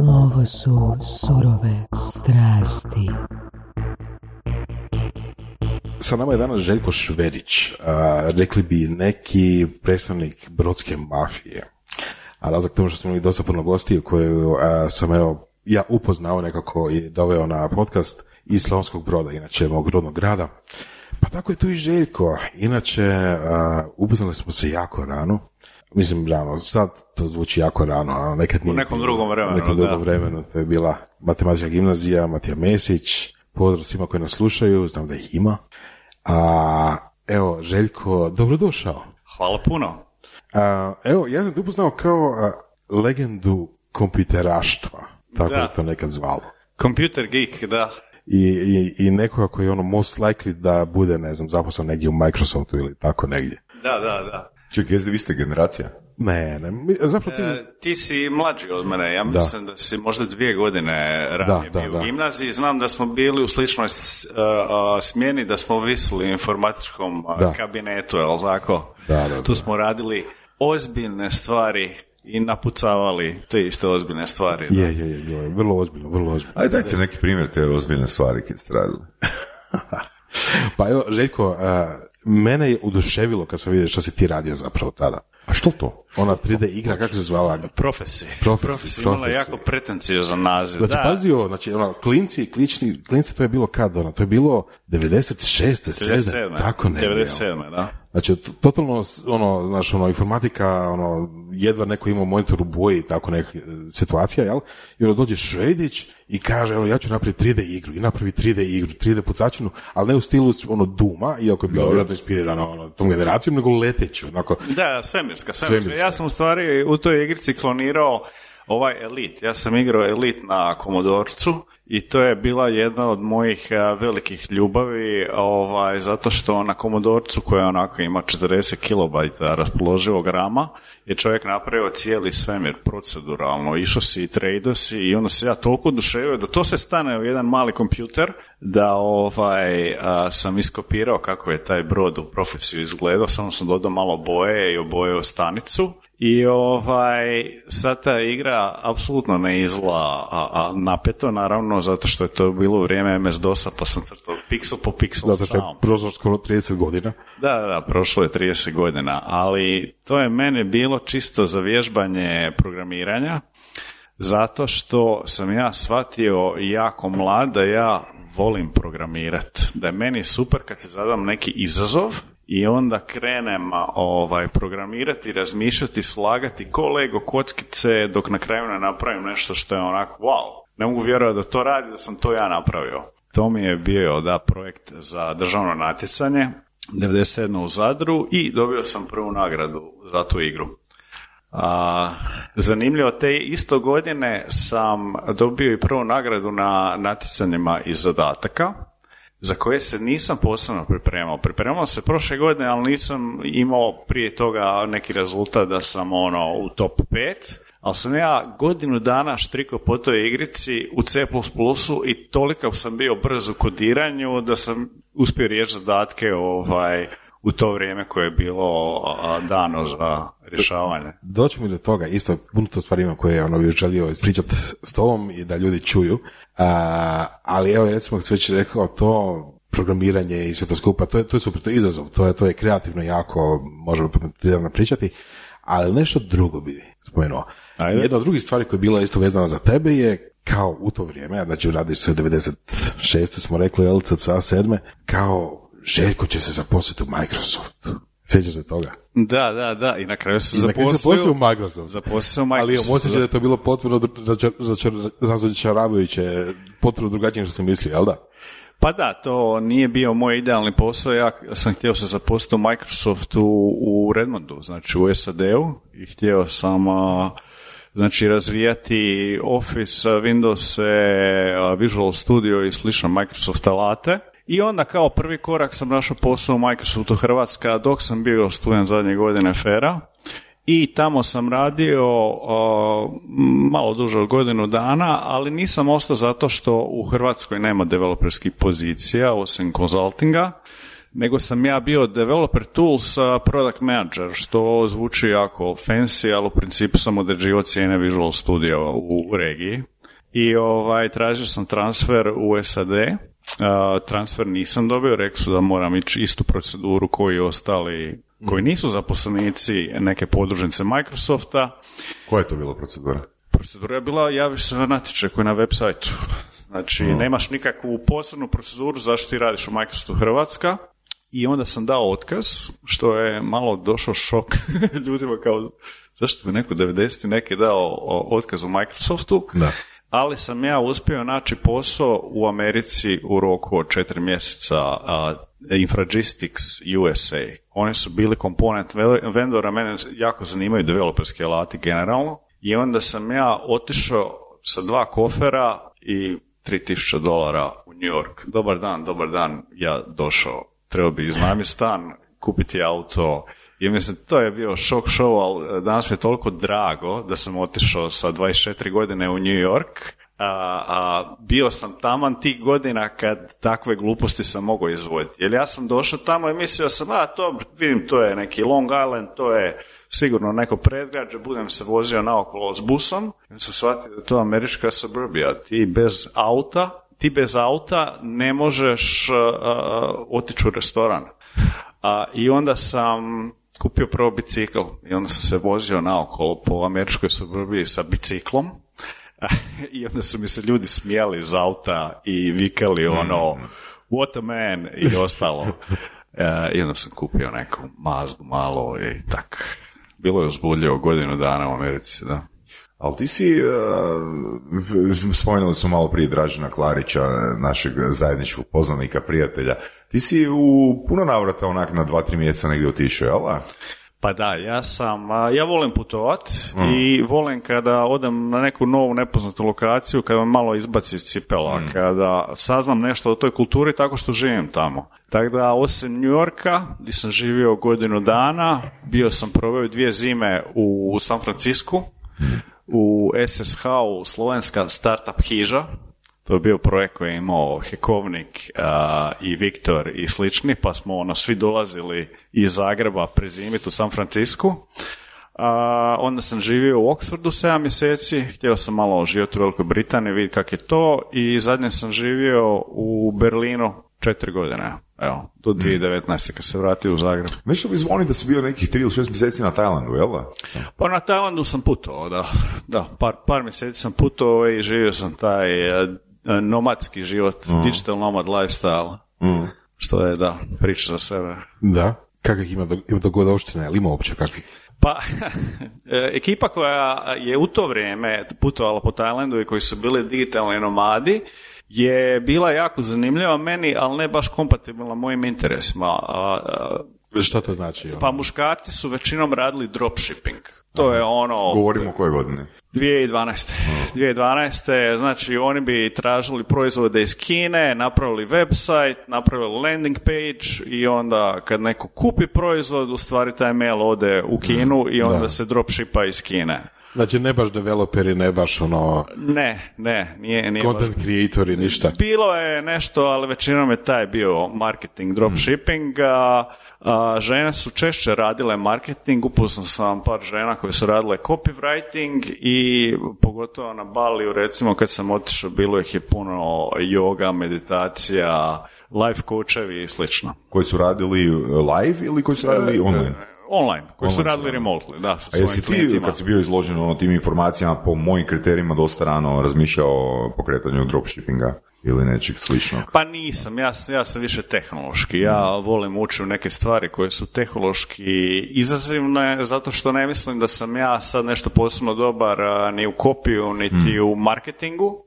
Ovo su surove strasti. Sa nama je danas Željko Šverić, rekli bi neki predstavnik brodske mafije. A razlog tomu što smo imali dosta puno gostiju koju sam ja upoznao nekako i doveo na podcast iz Slavonskog Broda, inače mog rodnog grada. Pa tako je tu i Željko. Inače, upoznali smo se jako rano. Mislim, rano, sad to zvuči jako rano, a nekad nije. U nekom drugom vremenu, nekom drugom vremenu. To je bila matematička gimnazija, Matija Mesić. Pozdrav svima koji nas slušaju, znam da ih ima. Evo, Željko, dobrodošao. Hvala puno. Evo, ja sam te upoznao kao legendu kompjuteraštva, tako je to nekad zvalo. Computer geek, da. I nekoga koji je most likely da bude, ne znam, zaposlen negdje u Microsoftu ili tako negdje. Da. Čekaj, vi ste generacija? Ne, zapravo ti si mlađi od mene, ja mislim da si možda 2 godine ranije bio u gimnaziji, znam da smo bili u sličnoj smjeni, da smo visili u informatičkom kabinetu, je li tako? Da. Tu smo radili ozbiljne stvari i napucavali te iste ozbiljne stvari. Je, vrlo ozbiljno. Ajde, dajte neki primjer te ozbiljne stvari kad ste radili. Pa evo, Željko, mene je oduševilo kad sam vidio što si ti radio zapravo tada. A što to? Ona 3D igra, kako se zvala? Profesi imala jako pretenciozan naziv. Znači, pazi ovo, klinci, to je bilo kad, to je bilo 96. 97. Tako ne. 97. da. Znači, totalno, informatika, jedva neko ima monitor u boji i tako neka situacija, jel? I onda dođe Švedić i kaže, ja ću napraviti 3D igru, i napravi 3D igru, 3D pucačinu, ali ne u stilu Duma, iako je bilo vjerojatno inspirirano tom generacijom, nego leteću. Da, svemirska. Ja sam u stvari u toj igrici klonirao ovaj Elite. Ja sam igrao Elite na Commodorcu i to je bila jedna od mojih velikih ljubavi, zato što na Commodorcu, koja onako ima 40 kilobajta raspoloživog rama, je čovjek napravio cijeli svemir proceduralno. Išao si i tradeo si i onda se ja toliko oduševio da to sve stane u jedan mali kompjuter, da sam iskopirao kako je taj brod u Profesiju izgledao, samo sam dodao malo boje i obojao stanicu. I sad ta igra apsolutno ne izgleda napeto, naravno, zato što je to bilo u vrijeme MS-DOS-a, pa sam crtao piksel po piksel sam. Zato je prošlo skoro 30 godina. Da, prošlo je 30 godina, ali to je meni bilo čisto za vježbanje programiranja, zato što sam ja shvatio jako mlad da ja volim programirati, da je meni super kad se zadam neki izazov i onda krenem programirati, razmišljati, slagati ko Lego kockice dok na kraju ne napravim nešto što je onako wow, ne mogu vjerovati da to radi, da sam to ja napravio. To mi je bio projekt za državno natjecanje 97. u Zadru i dobio sam prvu nagradu za tu igru. Zanimljivo, te isto godine sam dobio i prvu nagradu na natjecanjima iz zadataka, za koje se nisam posebno pripremao. Pripremao se prošle godine, ali nisam imao prije toga neki rezultat da sam u top 5, ali sam ja godinu dana štrikao po toj igrici u C++ i toliko sam bio brz u kodiranju da sam uspio riješiti zadatke u to vrijeme koje je bilo dano za rješavanje. Doći mi do toga, isto puno to stvari ima koje bih želio ispričati s tobom i da ljudi čuju, ali evo recimo kad se već rekao to programiranje i sve to skupa, to je super, to je izazov, to je kreativno jako, možemo to pričati, ali nešto drugo bi spomenuo. Jedna od drugih stvari koja je bila isto vezana za tebe je kao u to vrijeme, znači radiš se 96. smo rekli, LCCA 7. kao Željko će se zaposliti u Microsoftu. Sjećaš se toga? Da. I na kraju se zaposlio u Microsoft. Ali osjećaj da je to bilo potpuno razočaravajuće, potpuno drugačije što sam mislio, jel da? Pa da, to nije bio moj idealni posao. Ja sam htio se zaposliti u Microsoftu u Redmondu, znači u SAD-u, i htio sam razvijati Office, Windows, Visual Studio i slično Microsoft alate. I onda kao prvi korak sam našao posao u Microsoftu Hrvatska dok sam bio student zadnje godine FER-a i tamo sam radio malo duže od godinu dana, ali nisam ostao zato što u Hrvatskoj nema developerskih pozicija osim konzultinga. nego sam ja bio developer tools product manager, što zvuči jako fancy, ali u principu sam određivao cijene Visual Studio u regiji. I tražio sam transfer u SAD. Transfer nisam dobio, rekli su da moram ići istu proceduru koji ostali, koji nisu zaposlenici neke podružnice Microsofta. Koja je to bila procedura? Procedura je bila, javiš se na natječaj koji je na web sajtu. Znači, nemaš nikakvu posebnu proceduru zašto ti radiš u Microsoftu Hrvatska. I onda sam dao otkaz, što je malo došao šok ljudima kao, zašto bi neko 90. neki dao otkaz u Microsoftu. Da. Ali sam ja uspio naći posao u Americi u roku od 4 mjeseca, Infragistics USA. Oni su bili komponent vendora, mene jako zanimaju developerski alati generalno. I onda sam ja otišao sa 2 kofera i $3,000 u New York. Dobar dan, ja došao. Trebao bi iznajmiti stan, kupiti auto. I mislim, to je bio šok show, ali danas mi je toliko drago da sam otišao sa 24 godine u New York. Bio sam taman tih godina kad takve gluposti sam mogao izvoditi. Jer ja sam došao tamo i mislio sam, vidim, to je neki Long Island, to je sigurno neko predgrađe, budem se vozio naokolo s busom. I sam shvatio da je to američka suburbija. Ti bez auta ne možeš otići u restoran. I onda sam kupio prvo bicikl i onda sam se vozio naokolo po američkoj suburbiji sa biciklom. I onda su mi se ljudi smijali iz auta i vikali what a man i ostalo. I onda sam kupio neku Mazdu malo i tak. Bilo je uzbudljivo godinu dana u Americi, da. Ali ti si, spomenuli smo malo prije Dražena Klarića, našeg zajedničkog poznanika, prijatelja, ti si u puno navrata onak na 2-3 mjeseca negdje otišao, jel? Pa da, ja volim putovat i volim kada odem na neku novu nepoznatu lokaciju, kada me malo izbaci iz cipela, kada saznam nešto o toj kulturi tako što živim tamo. Tako da, osim New Yorka, gdje sam živio godinu dana, proveo 2 zime u San Francisku, u SSH-u, slovenska startup hiža. To je bio projekt koji je imao Hekovnik i Viktor i slični, pa smo svi dolazili iz Zagreba prezimiti u San Francisku. Onda sam živio u Oxfordu 7 mjeseci, htio sam malo živjeti u Velikoj Britaniji, vidjeti kako je to, i zadnje sam živio u Berlinu 4 godine. Evo, do 2019. kad se vratio u Zagreb. Nešto bi zvoni da si bio nekih 3 ili 6 mjeseci na Tajlandu, jel da? Pa na Tajlandu sam putovao, da. Par mjeseci sam putovao i živio sam taj nomadski život, digital nomad lifestyle, što je, priča za sebe. Da, kakvih ima dogodovština, ili ima uopće kakvih? Pa, ekipa koja je u to vrijeme putovala po Tajlandu i koji su bili digitalni nomadi, je bila jako zanimljiva meni, ali ne baš kompatibilna mojim interesima. Što to znači? Pa muškarci su većinom radili dropshipping. To je Govorimo o koje godine? 2012. Znači, oni bi tražili proizvode iz Kine, napravili website, napravili landing page i onda kad neko kupi proizvod, u stvari taj mail ode u Kinu i onda se dropshipa iz Kine. Znači, ne baš developeri, ne baš Ne, nije content baš creatori, ništa. Bilo je nešto, ali većinom je taj bio marketing, dropshipping. Žene su češće radile marketing, upoznao sam par žena koje su radile copywriting i pogotovo na Baliju, recimo kad sam otišao, bilo ih je puno yoga, meditacija, life coachevi i slično. Koji su radili live ili koji su radili online? Online, koji su radili remotely, da, sa svojim klijentima. A jesi ti, kad si bio izložen tim informacijama, po mojim kriterijima dosta rano razmišljao o pokretanju dropshippinga ili nečeg sličnog? Pa nisam, ja sam više tehnološki. Ja volim ući u neke stvari koje su tehnološki izazivne, zato što ne mislim da sam ja sad nešto posebno dobar ni u kopiju, niti u marketingu.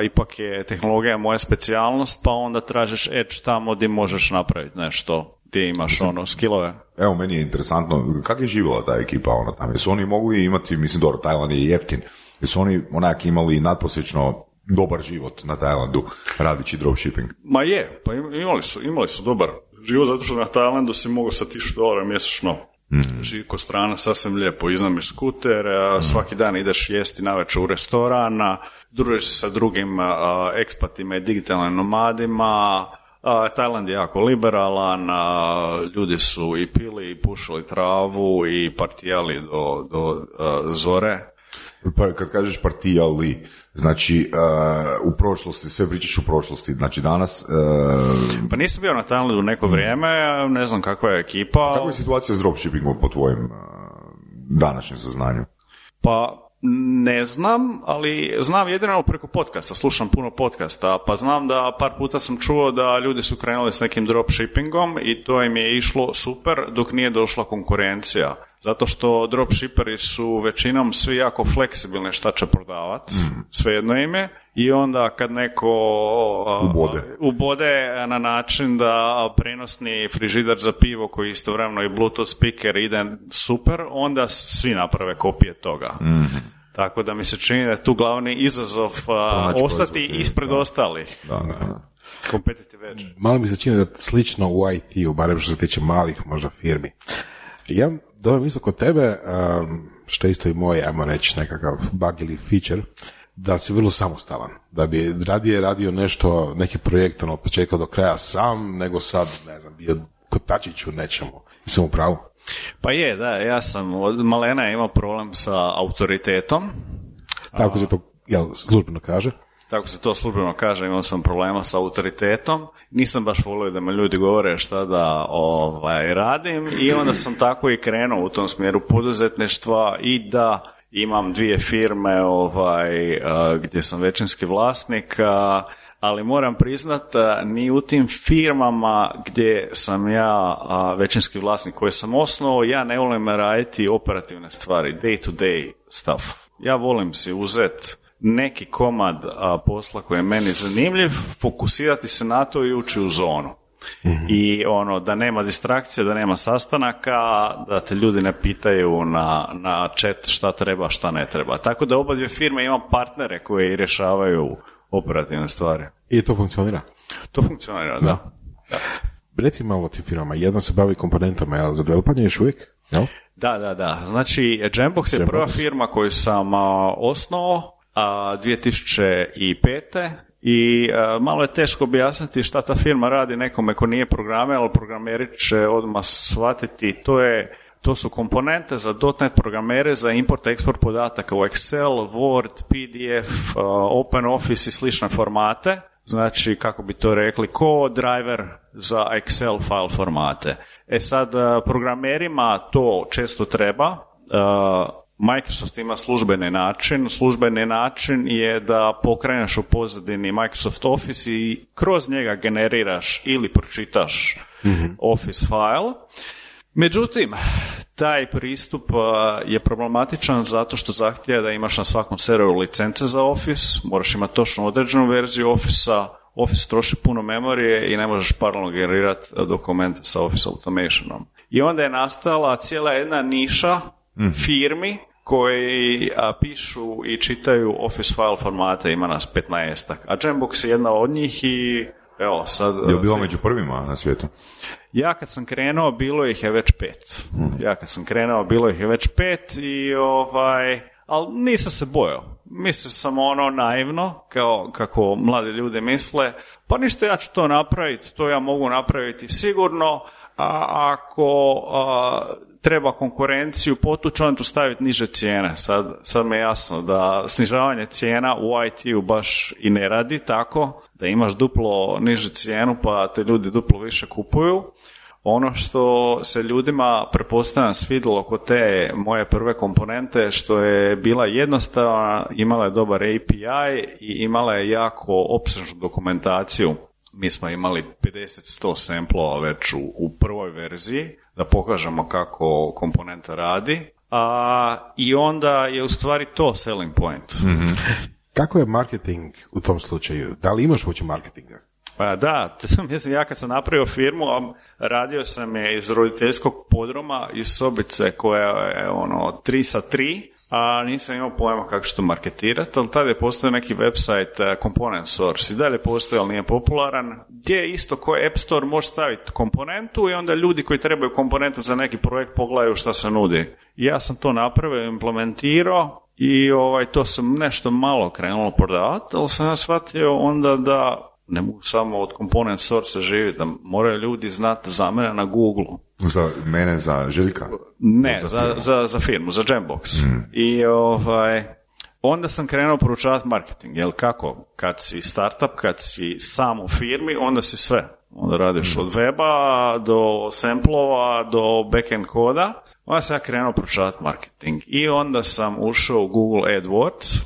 Ipak je tehnologija moja specijalnost, pa onda tražiš edge tamo gdje možeš napraviti nešto, gdje imaš skillove. Evo, meni je interesantno, kako je živjela ta ekipa tamo? Jesu oni mogli imati, mislim, dobro, Tajland je jeftin, jesu oni onak imali nadprosječno dobar život na Tajlandu radići dropshipping? Ma je, pa imali su dobar život, zato što na Tajlandu si mogao sa $1,000 mjesečno živi ko strana, sasvim lijepo, iznajmiš skuter, svaki dan ideš jesti navečer u restoran, družiš se sa drugim ekspatima i digitalnim nomadima, Tajland je jako liberalan, ljudi su i pili i pušili travu i partijali do zore. Pa kad kažeš partijali, znači u prošlosti, sve pričaš u prošlosti, znači danas... Pa nisam bio na Tajlandu neko vrijeme, ne znam kakva je ekipa. Kakva je situacija s dropshippingom po tvojim današnjem saznanju? Pa ne znam, ali znam jedino preko podcasta, slušam puno podcasta, pa znam da par puta sam čuo da ljudi su krenuli s nekim dropshippingom i to im je išlo super dok nije došla konkurencija. Zato što dropshipperi su većinom svi jako fleksibilni šta će prodavati, svejedno im je, i onda kad neko ubode na način da prenosni frižider za pivo koji je istovremeno i Bluetooth speaker ide super, onda svi naprave kopije toga. Tako da mi se čini da je tu glavni izazov ostati ispred ostalih. Competitive edge. Malo mi se čini da slično u IT-u, barem što se tiče malih možda firmi. Ja dobijem isto kod tebe, što je isto i moj, ajmo reći, nekakav bug ili feature, da si vrlo samostalan. Da bi radije radio nešto, neki projekt od početka do kraja sam, nego sad, ne znam, bio kotačić u nečemu. Sam u pravu? Pa je, da, ja sam od malena imao problem sa autoritetom. Tako se to službeno kaže? Tako se to službeno kaže, imao sam problema sa autoritetom. Nisam baš volio da me ljudi govore šta da radim i onda sam tako i krenuo u tom smjeru poduzetništva i da imam 2 firme gdje sam većinski vlasnik, ali moram priznat ni u tim firmama gdje sam ja većinski vlasnik koji sam osnovao, ja ne volim raditi operativne stvari, day to day stuff. Ja volim si uzeti neki komad posla koji je meni zanimljiv, fokusirati se na to i ući u zonu. I da nema distrakcije, da nema sastanaka, da te ljudi ne pitaju na chat šta treba, šta ne treba. Tako da oba 2 firme imam partnere koji rješavaju operativne stvari. I to funkcionira? To funkcionira, da. Reci malo o tim firmama. Jedna se bavi komponentama, je li za developanje još uvijek? Jel? Da. Znači, Jambox je prva firma koju sam osnovao 2005. I malo je teško objasniti šta ta firma radi nekome ko nije programer, ali programeri će odmah shvatiti. To su komponente za .NET programere za import-export podataka u Excel, Word, PDF, OpenOffice i slične formate. Znači, kako bi to rekli, ko driver za Excel file formate. Sad, programerima to često treba. Microsoft ima službeni način. Službeni način je da pokreneš u pozadini Microsoft Office i kroz njega generiraš ili pročitaš Office file. Međutim, taj pristup je problematičan zato što zahtijeva da imaš na svakom serveru licence za Office, moraš imati točno određenu verziju Office-a, Office troši puno memorije i ne možeš paralelno generirati dokument sa Office Automationom. I onda je nastala cijela jedna niša firmi koji pišu i čitaju Office file formate, ima nas 15-ak. A Jambox je jedna od njih i evo sad... Je li bila među prvima na svijetu? Ja kad sam krenuo, bilo ih je već 5. I ali nisam se bojao. Mislio sam naivno, kao kako mladi ljudi misle, pa ništa, ja ću to napraviti, to ja mogu napraviti sigurno, a ako treba konkurenciju potući, onda ću staviti niže cijene. Sad mi je jasno da snižavanje cijena u IT-u baš i ne radi tako, da imaš duplo nižu cijenu pa te ljudi duplo više kupuju. Ono što se ljudima pretpostavljam svidjelo kod te moje prve komponente, što je bila jednostavna, imala je dobar API i imala je jako opsežnu dokumentaciju. Mi smo imali 50-100 samplova već u prvoj verziji, da pokažemo kako komponenta radi, i onda je u stvari to selling point. Mm-hmm. Kako je marketing u tom slučaju? Da li imaš uopće marketinga? Pa da, mislim, ja kad sam napravio firmu, radio sam je iz roditeljskog podruma, iz sobice koja je 3x3, a nisam imao pojma kako ću to marketirati, ali tada je postojao neki website Component Source i dalje postoji, ali nije popularan, gdje isto koji App Store može staviti komponentu i onda ljudi koji trebaju komponentu za neki projekt pogledaju šta se nudi. I ja sam to napravio, implementirao i to sam nešto malo krenulo prodavati, ali sam ja shvatio onda da ne mogu samo od component source živjeti, da moraju ljudi znati za mene na Google. Za mene, za Željka? Ne, za firmu, za Jambox. I onda sam krenuo proučavati marketing, jel kako? Kad si startup, kad si sam u firmi, onda si sve. Onda radiš od weba do samplova do backend koda. Onda sam ja krenuo proučavati marketing. I onda sam ušao u Google AdWords.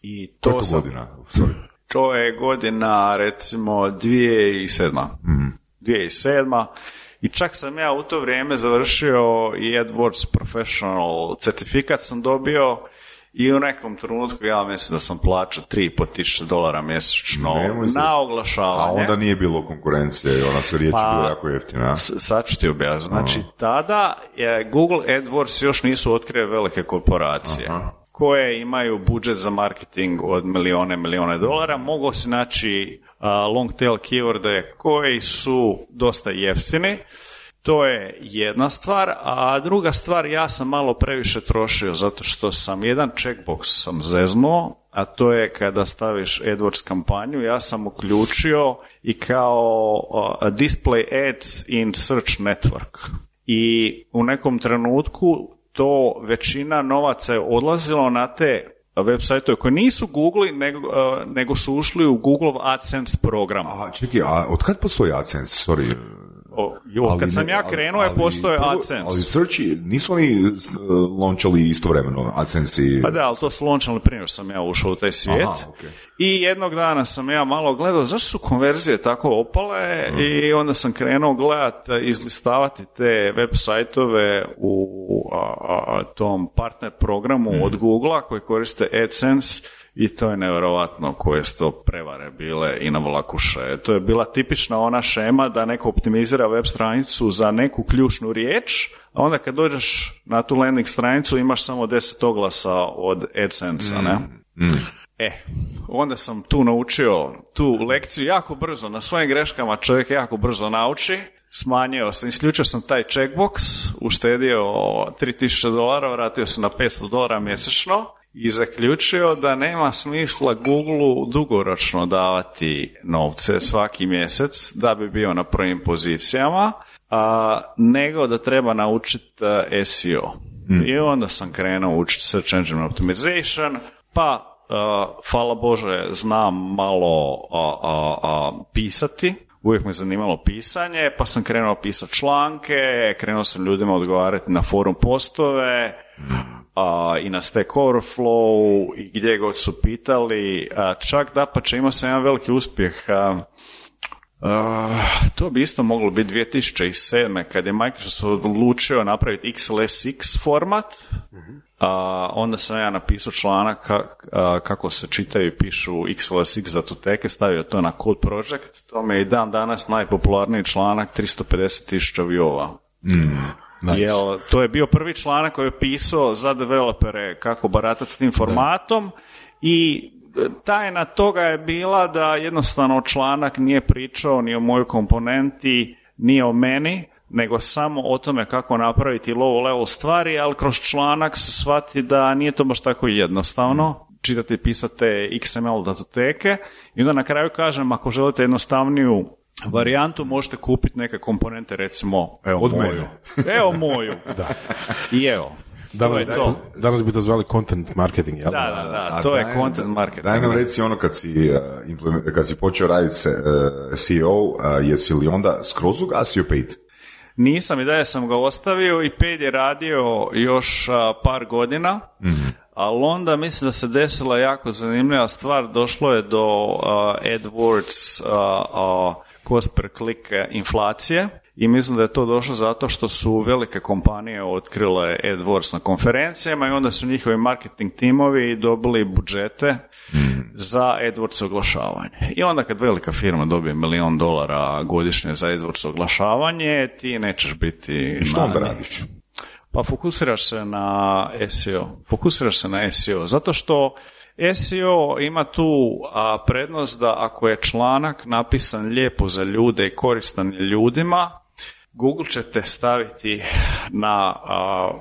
I to koliko godina? Sorry. To je godina, recimo, 2007. 2007. I čak sam ja u to vrijeme završio i AdWords Professional certifikat sam dobio i u nekom trenutku ja mislim da sam plaćao $3.500 mjesečno na oglašavanje. A onda nije bilo konkurencije i ona su riječi bila jako jeftina. Sad ću ti objasniti. Znači, tada Google AdWords još nisu otkrile velike korporacije. Koje imaju budžet za marketing od milijone dolara, mogu se naći long tail keyworde koji su dosta jeftini. To je jedna stvar, a druga stvar, ja sam malo previše trošio zato što sam jedan checkbox sam zeznuo, a to je kada staviš AdWords kampanju, ja sam uključio i kao display ads in search network. I u nekom trenutku to većina novaca je odlazilo na te web sajtove koji nisu Google, nego su ušli u Google AdSense program. A čekaj, a od kad postoji AdSense? Sorry. Kad sam ja krenuo je postoje AdSense. Ali searchi, nisu oni launchali istovremeno AdSense i... Pa da, ali to su launchali prije što sam ja ušao u taj svijet. Okay. I jednog dana sam ja malo gledao zašto su konverzije tako opale i onda sam krenuo gledati, izlistavati te web sajtove u tom partner programu od Googlea koji koriste AdSense. I to je nevjerovatno koje su to prevare bile i na vlakuše. To je bila tipična ona šema da neko optimizira web stranicu za neku ključnu riječ, a onda kad dođeš na tu landing stranicu imaš samo 10 oglasa od AdSense-a, ne? Onda sam tu naučio tu lekciju jako brzo, na svojim greškama čovjek jako brzo nauči. Smanjio sam, isključio sam taj checkbox, uštedio $3.000, vratio sam na $500 mjesečno i zaključio da nema smisla Googleu dugoročno davati novce svaki mjesec da bi bio na prvim pozicijama, nego da treba naučiti SEO. I onda sam krenuo učiti Search Engine Optimization, pa hvala Bože znam malo pisati. Uvijek me zanimalo pisanje, pa sam krenuo pisati članke, krenuo sam ljudima odgovarati na forum postove i na Stack Overflow i gdje god su pitali. Čak dapače imao sam jedan veliki uspjeh. To bi isto moglo biti 2007. kad je Microsoft odlučio napraviti XLSX format. Onda sam ja napisao članak kako se čitaju i pišu XLSX datoteke, stavio to na Code Project. To mi je i dan danas najpopularniji članak, 350,000 viewova. Nice. To je bio prvi članak koji je pisao za developere kako baratati s tim formatom i tajna toga je bila da jednostavno članak nije pričao ni o mojoj komponenti, ni o meni, nego samo o tome kako napraviti low level stvari, ali kroz članak se shvati da nije to baš tako jednostavno čitati i pisati XML datoteke i onda na kraju kažem ako želite jednostavniju varijantu možete kupiti neke komponente, recimo moju. Da. I evo. Danas bi to zvali content marketing, jel? Da, to je content marketing. Daj nam reci ono kad si počeo raditi SEO, jesi li onda skroz ugasio Paid? Nisam, i dalje sam ga ostavio i Paid je radio još par godina, ali onda mislim da se desila jako zanimljiva stvar, došlo je do AdWords cost per click inflacije i mislim da je to došlo zato što su velike kompanije otkrile AdWords na konferencijama i onda su njihovi marketing timovi dobili budžete za AdWords oglašavanje. I onda kad velika firma dobije $1 milion godišnje za AdWords oglašavanje, ti nećeš biti... Što onda radiš? Pa fokusiraš se na SEO. Zato što SEO ima tu prednost da ako je članak napisan lijepo za ljude i koristan ljudima, Google će te staviti na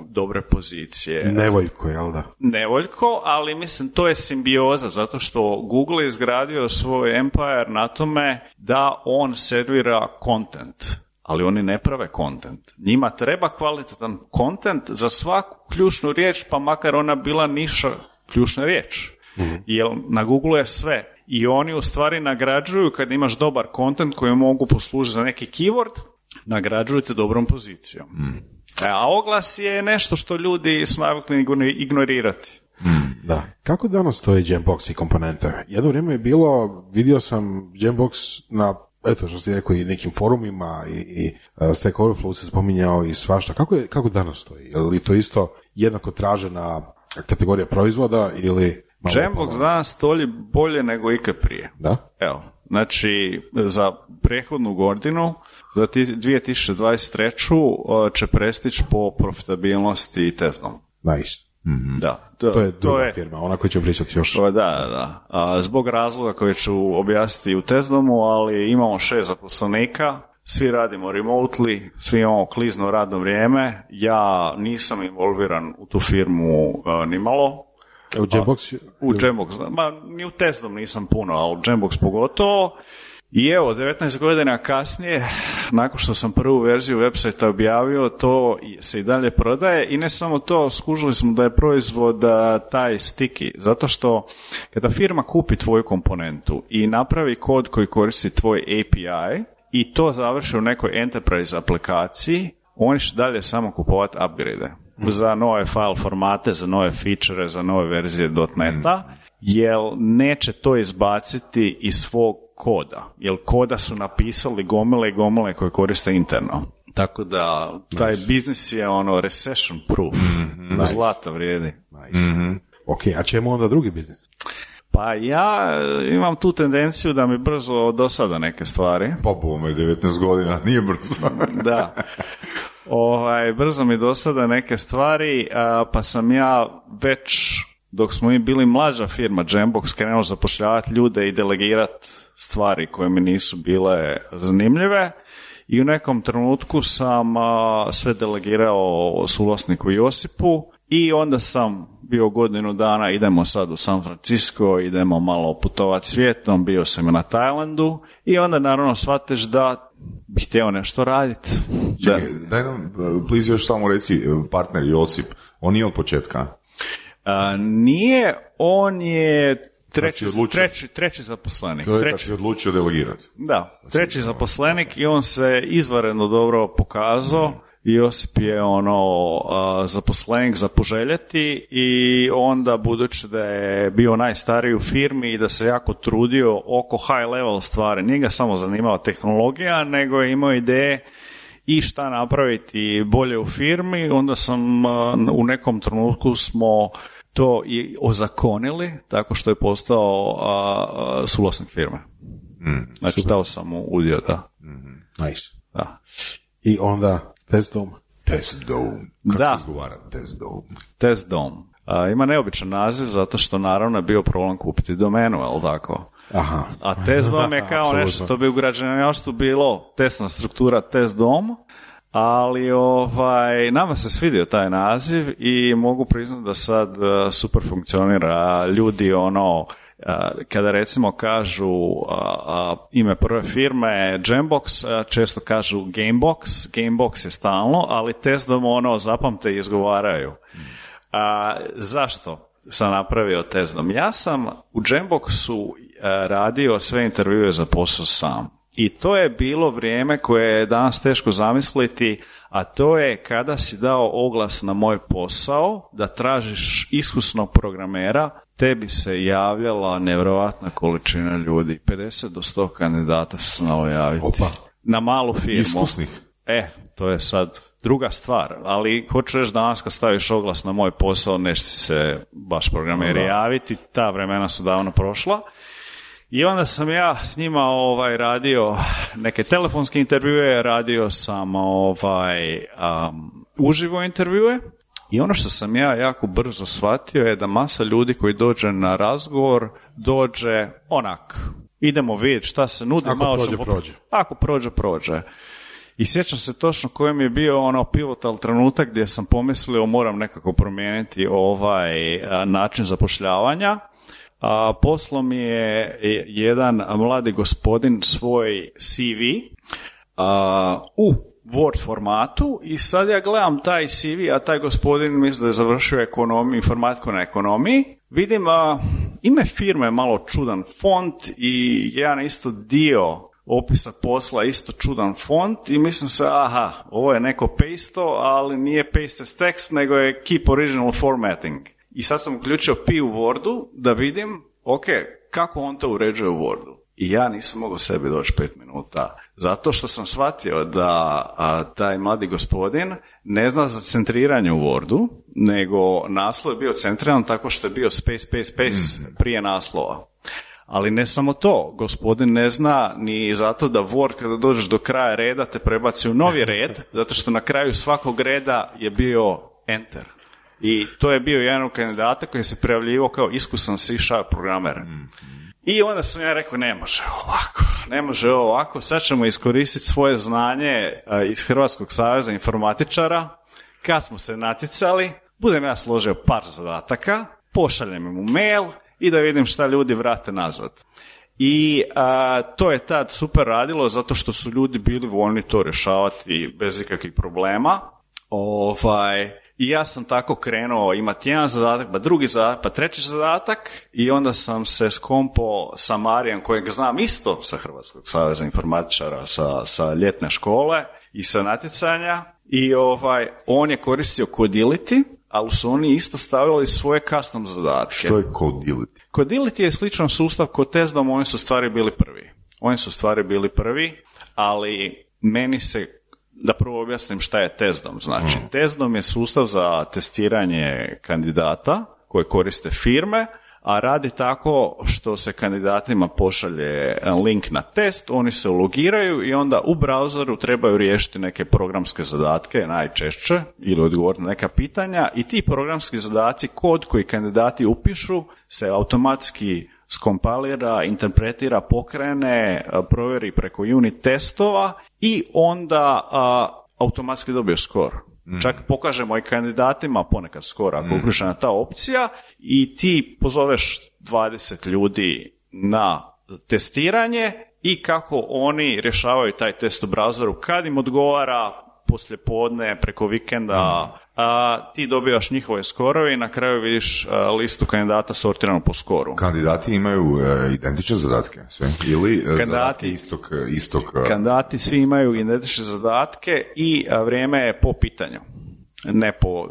dobre pozicije. Nevoljko, jel da? Nevoljko, ali mislim to je simbioza, zato što Google je izgradio svoj empire na tome da on servira content, ali oni ne prave content. Njima treba kvalitetan content za svaku ključnu riječ, pa makar ona bila niša ključna riječ. Jer na Google je sve. I oni u stvari nagrađuju kad imaš dobar content koji mogu poslužiti za neki keyword, nagrađuju te dobrom pozicijom. A oglas je nešto što ljudi su navikli ignorirati. Da. Kako danas stoji Jambox i komponente? Jedno vrijeme je bilo, vidio sam Jambox na, eto što si rekao, i nekim forumima i Stack Overflow se spominjao i svašta. Kako danas stoji? Je li to isto jednako tražena kategorija proizvoda ili... Jambox danas stoji bolje nego ikad prije. Da? Evo, znači za prethodnu godinu, za 2023. će prestići po profitabilnosti Teslom. Nice. Da. To je druga firma, ona koja će pričati još. Da. Zbog razloga koje ću objasniti u Teslomu, ali imamo 6 zaposlenika, svi radimo remotely, svi imamo klizno radno vrijeme, ja nisam involviran u tu firmu nimalo. U Jambox? U Jambox, ni u Teslom nisam puno, ali u Jambox pogotovo. I evo, 19 godina kasnije, nakon što sam prvu verziju website objavio, to se i dalje prodaje i ne samo to, skužili smo da je proizvod taj sticky, zato što kada firma kupi tvoju komponentu i napravi kod koji koristi tvoj API i to završi u nekoj enterprise aplikaciji, oni će dalje samo kupovati upgrade za nove file formate, za nove feature, za nove verzije .NET-a, jer neće to izbaciti iz svog koda, jer koda su napisali gomile i gomile koje koriste interno. Tako da taj biznis je recession proof, zlata vrijedi. Ok, a čemu onda drugi biznis? Pa ja imam tu tendenciju da mi brzo dosada neke stvari. Pa bome, 19 godina, nije brzo. Da. Brzo mi dosada neke stvari, pa sam ja već, dok smo mi bili mlađa firma Jambox, krenuo zapošljavati ljude i delegirati stvari koje mi nisu bile zanimljive i u nekom trenutku sam sve delegirao suvlasniku Josipu i onda sam bio godinu dana, idemo sad u San Francisco, idemo malo putovati svijetom, bio sam i na Tajlandu i onda naravno shvatiš da bih htio nešto raditi. Čekaj, daj nam, please još samo reci, partner Josip, on nije od početka? Nije, on je treći zaposlenik. To je kad si odlučio delegirati. Da, treći zaposlenik i on se izvanredno dobro pokazao. Josip je zaposlenik za poželjeti i onda budući da je bio najstariji u firmi i da se jako trudio oko high level stvari, nije ga samo zanimala tehnologija, nego je imao ideje i šta napraviti bolje u firmi, onda sam u nekom trenutku smo to i ozakonili tako što je postao suvlasnik firme. Znači dao sam mu udio, da. Nice. Da. I onda Testdom. Kako se izgovara Testdom? Testdom. Ima neobičan naziv zato što naravno je bio problem kupiti domenu, jel tako? Aha. A Testdom je kao nešto što bi u građevinarstvu bilo testna struktura Testdom, ali nama se svidio taj naziv i mogu priznati da sad super funkcionira. Ljudi kada recimo kažu ime prve firme Jambox, često kažu Gamebox je stalno, ali Testdom zapamte i izgovaraju. Zašto sam napravio Testdom? Ja sam u Jamboxu radio sve intervjue za posao sam. I to je bilo vrijeme koje je danas teško zamisliti, a to je kada si dao oglas na moj posao da tražiš iskusnog programera, tebi se javljala nevjerojatna količina ljudi. 50 do 100 kandidata se znalo javiti. Opa. Na malu firmu. Iskusnih. To je sad druga stvar, ali hoću reći danas kad staviš oglas na moj posao, neće se baš programeri javiti, ta vremena su davno prošla. I onda sam ja s njima radio neke telefonske intervjue, radio sam uživo intervjue i ono što sam ja jako brzo shvatio je da masa ljudi koji dođe na razgovor dođe onak, idemo vidjeti šta se nudi. Ako prođe. Ako prođe. I sjećam se točno kojem je bio ono pivotal trenutak gdje sam pomislio moram nekako promijeniti način zapošljavanja. Poslao mi je jedan mladi gospodin svoj CV u Word formatu i sad ja gledam taj CV, a taj gospodin mislim da je završio informatiku na ekonomiji. Vidim ime firme malo čudan font i jedan isto dio opisa posla isto čudan font i mislim se, ovo je neko pasto, ali nije paste as text, nego je keep original formatting. I sad sam uključio P u Wordu da vidim, kako on to uređuje u Wordu. I ja nisam mogao sebi doći 5 minuta. Zato što sam shvatio da taj mladi gospodin ne zna za centriranje u Wordu, nego naslov je bio centriran tako što je bio space prije naslova. Ali ne samo to, gospodin ne zna ni zato da Word kada dođeš do kraja reda te prebaci u novi red, zato što na kraju svakog reda je bio enter. I to je bio jedan od kandidata koji se prijavljivao kao iskusan C# programer. I onda sam ja rekao, ne može ovako, sad ćemo iskoristiti svoje znanje iz Hrvatskog saveza informatičara. Kad smo se natjecali, budem ja složio par zadataka, pošaljem im u mail i da vidim šta ljudi vrate nazad. I to je tad super radilo zato što su ljudi bili voljni to rješavati bez ikakvih problema. I ja sam tako krenuo imati jedan zadatak, pa drugi zadatak, pa treći zadatak i onda sam se skompo sa Marijem kojeg znam isto sa Hrvatskog saveza informatičara, sa ljetne škole i sa natjecanja i on je koristio Codility, ali su oni isto stavili svoje custom zadatke. Što je Codility? Codility je sličan sustav kod Testdom, oni su stvari bili prvi, ali meni se da prvo objasnim šta je Testdom. Znači, Testdom je sustav za testiranje kandidata koje koriste firme, a radi tako što se kandidatima pošalje link na test, oni se ulogiraju i onda u browseru trebaju riješiti neke programske zadatke, najčešće, ili odgovoriti na neka pitanja i ti programski zadaci, kod koji kandidati upišu, se automatski skompalira, interpretira, pokrene, provjeri preko unit testova i onda automatski dobiješ skor. Čak pokažemo i kandidatima ponekad skor ako je uključena ta opcija i ti pozoveš 20 ljudi na testiranje i kako oni rješavaju taj test u browseru kad im odgovara poslijepodne, preko vikenda, ti dobivaš njihove skorove i na kraju vidiš listu kandidata sortiranu po skoru. Kandidati imaju identične zadatke sve? Ili kandidati, istog... Kandidati svi imaju identične zadatke i vrijeme je po pitanju, ne po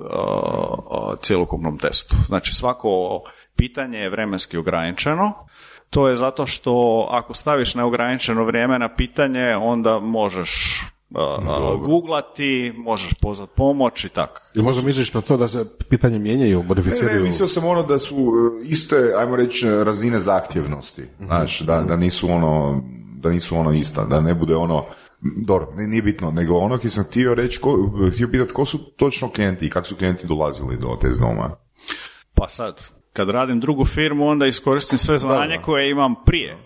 cjelokupnom testu. Znači svako pitanje je vremenski ograničeno. To je zato što ako staviš neograničeno vrijeme na pitanje, onda možeš googlati, možeš pozvati pomoć i tako. Ili možda misliš na to da se pitanje mijenjaju, modificiraju? Ne, mislio sam da su iste, ajmo reći, razine zahtjevnosti. Znaš, da nisu ista, da ne bude dobro, nije bitno, nego ki sam htio pitati ko su točno klijenti i kako su klijenti dolazili do Testdoma. Pa sad, kad radim drugu firmu, onda iskoristim sve znanje koje imam prije.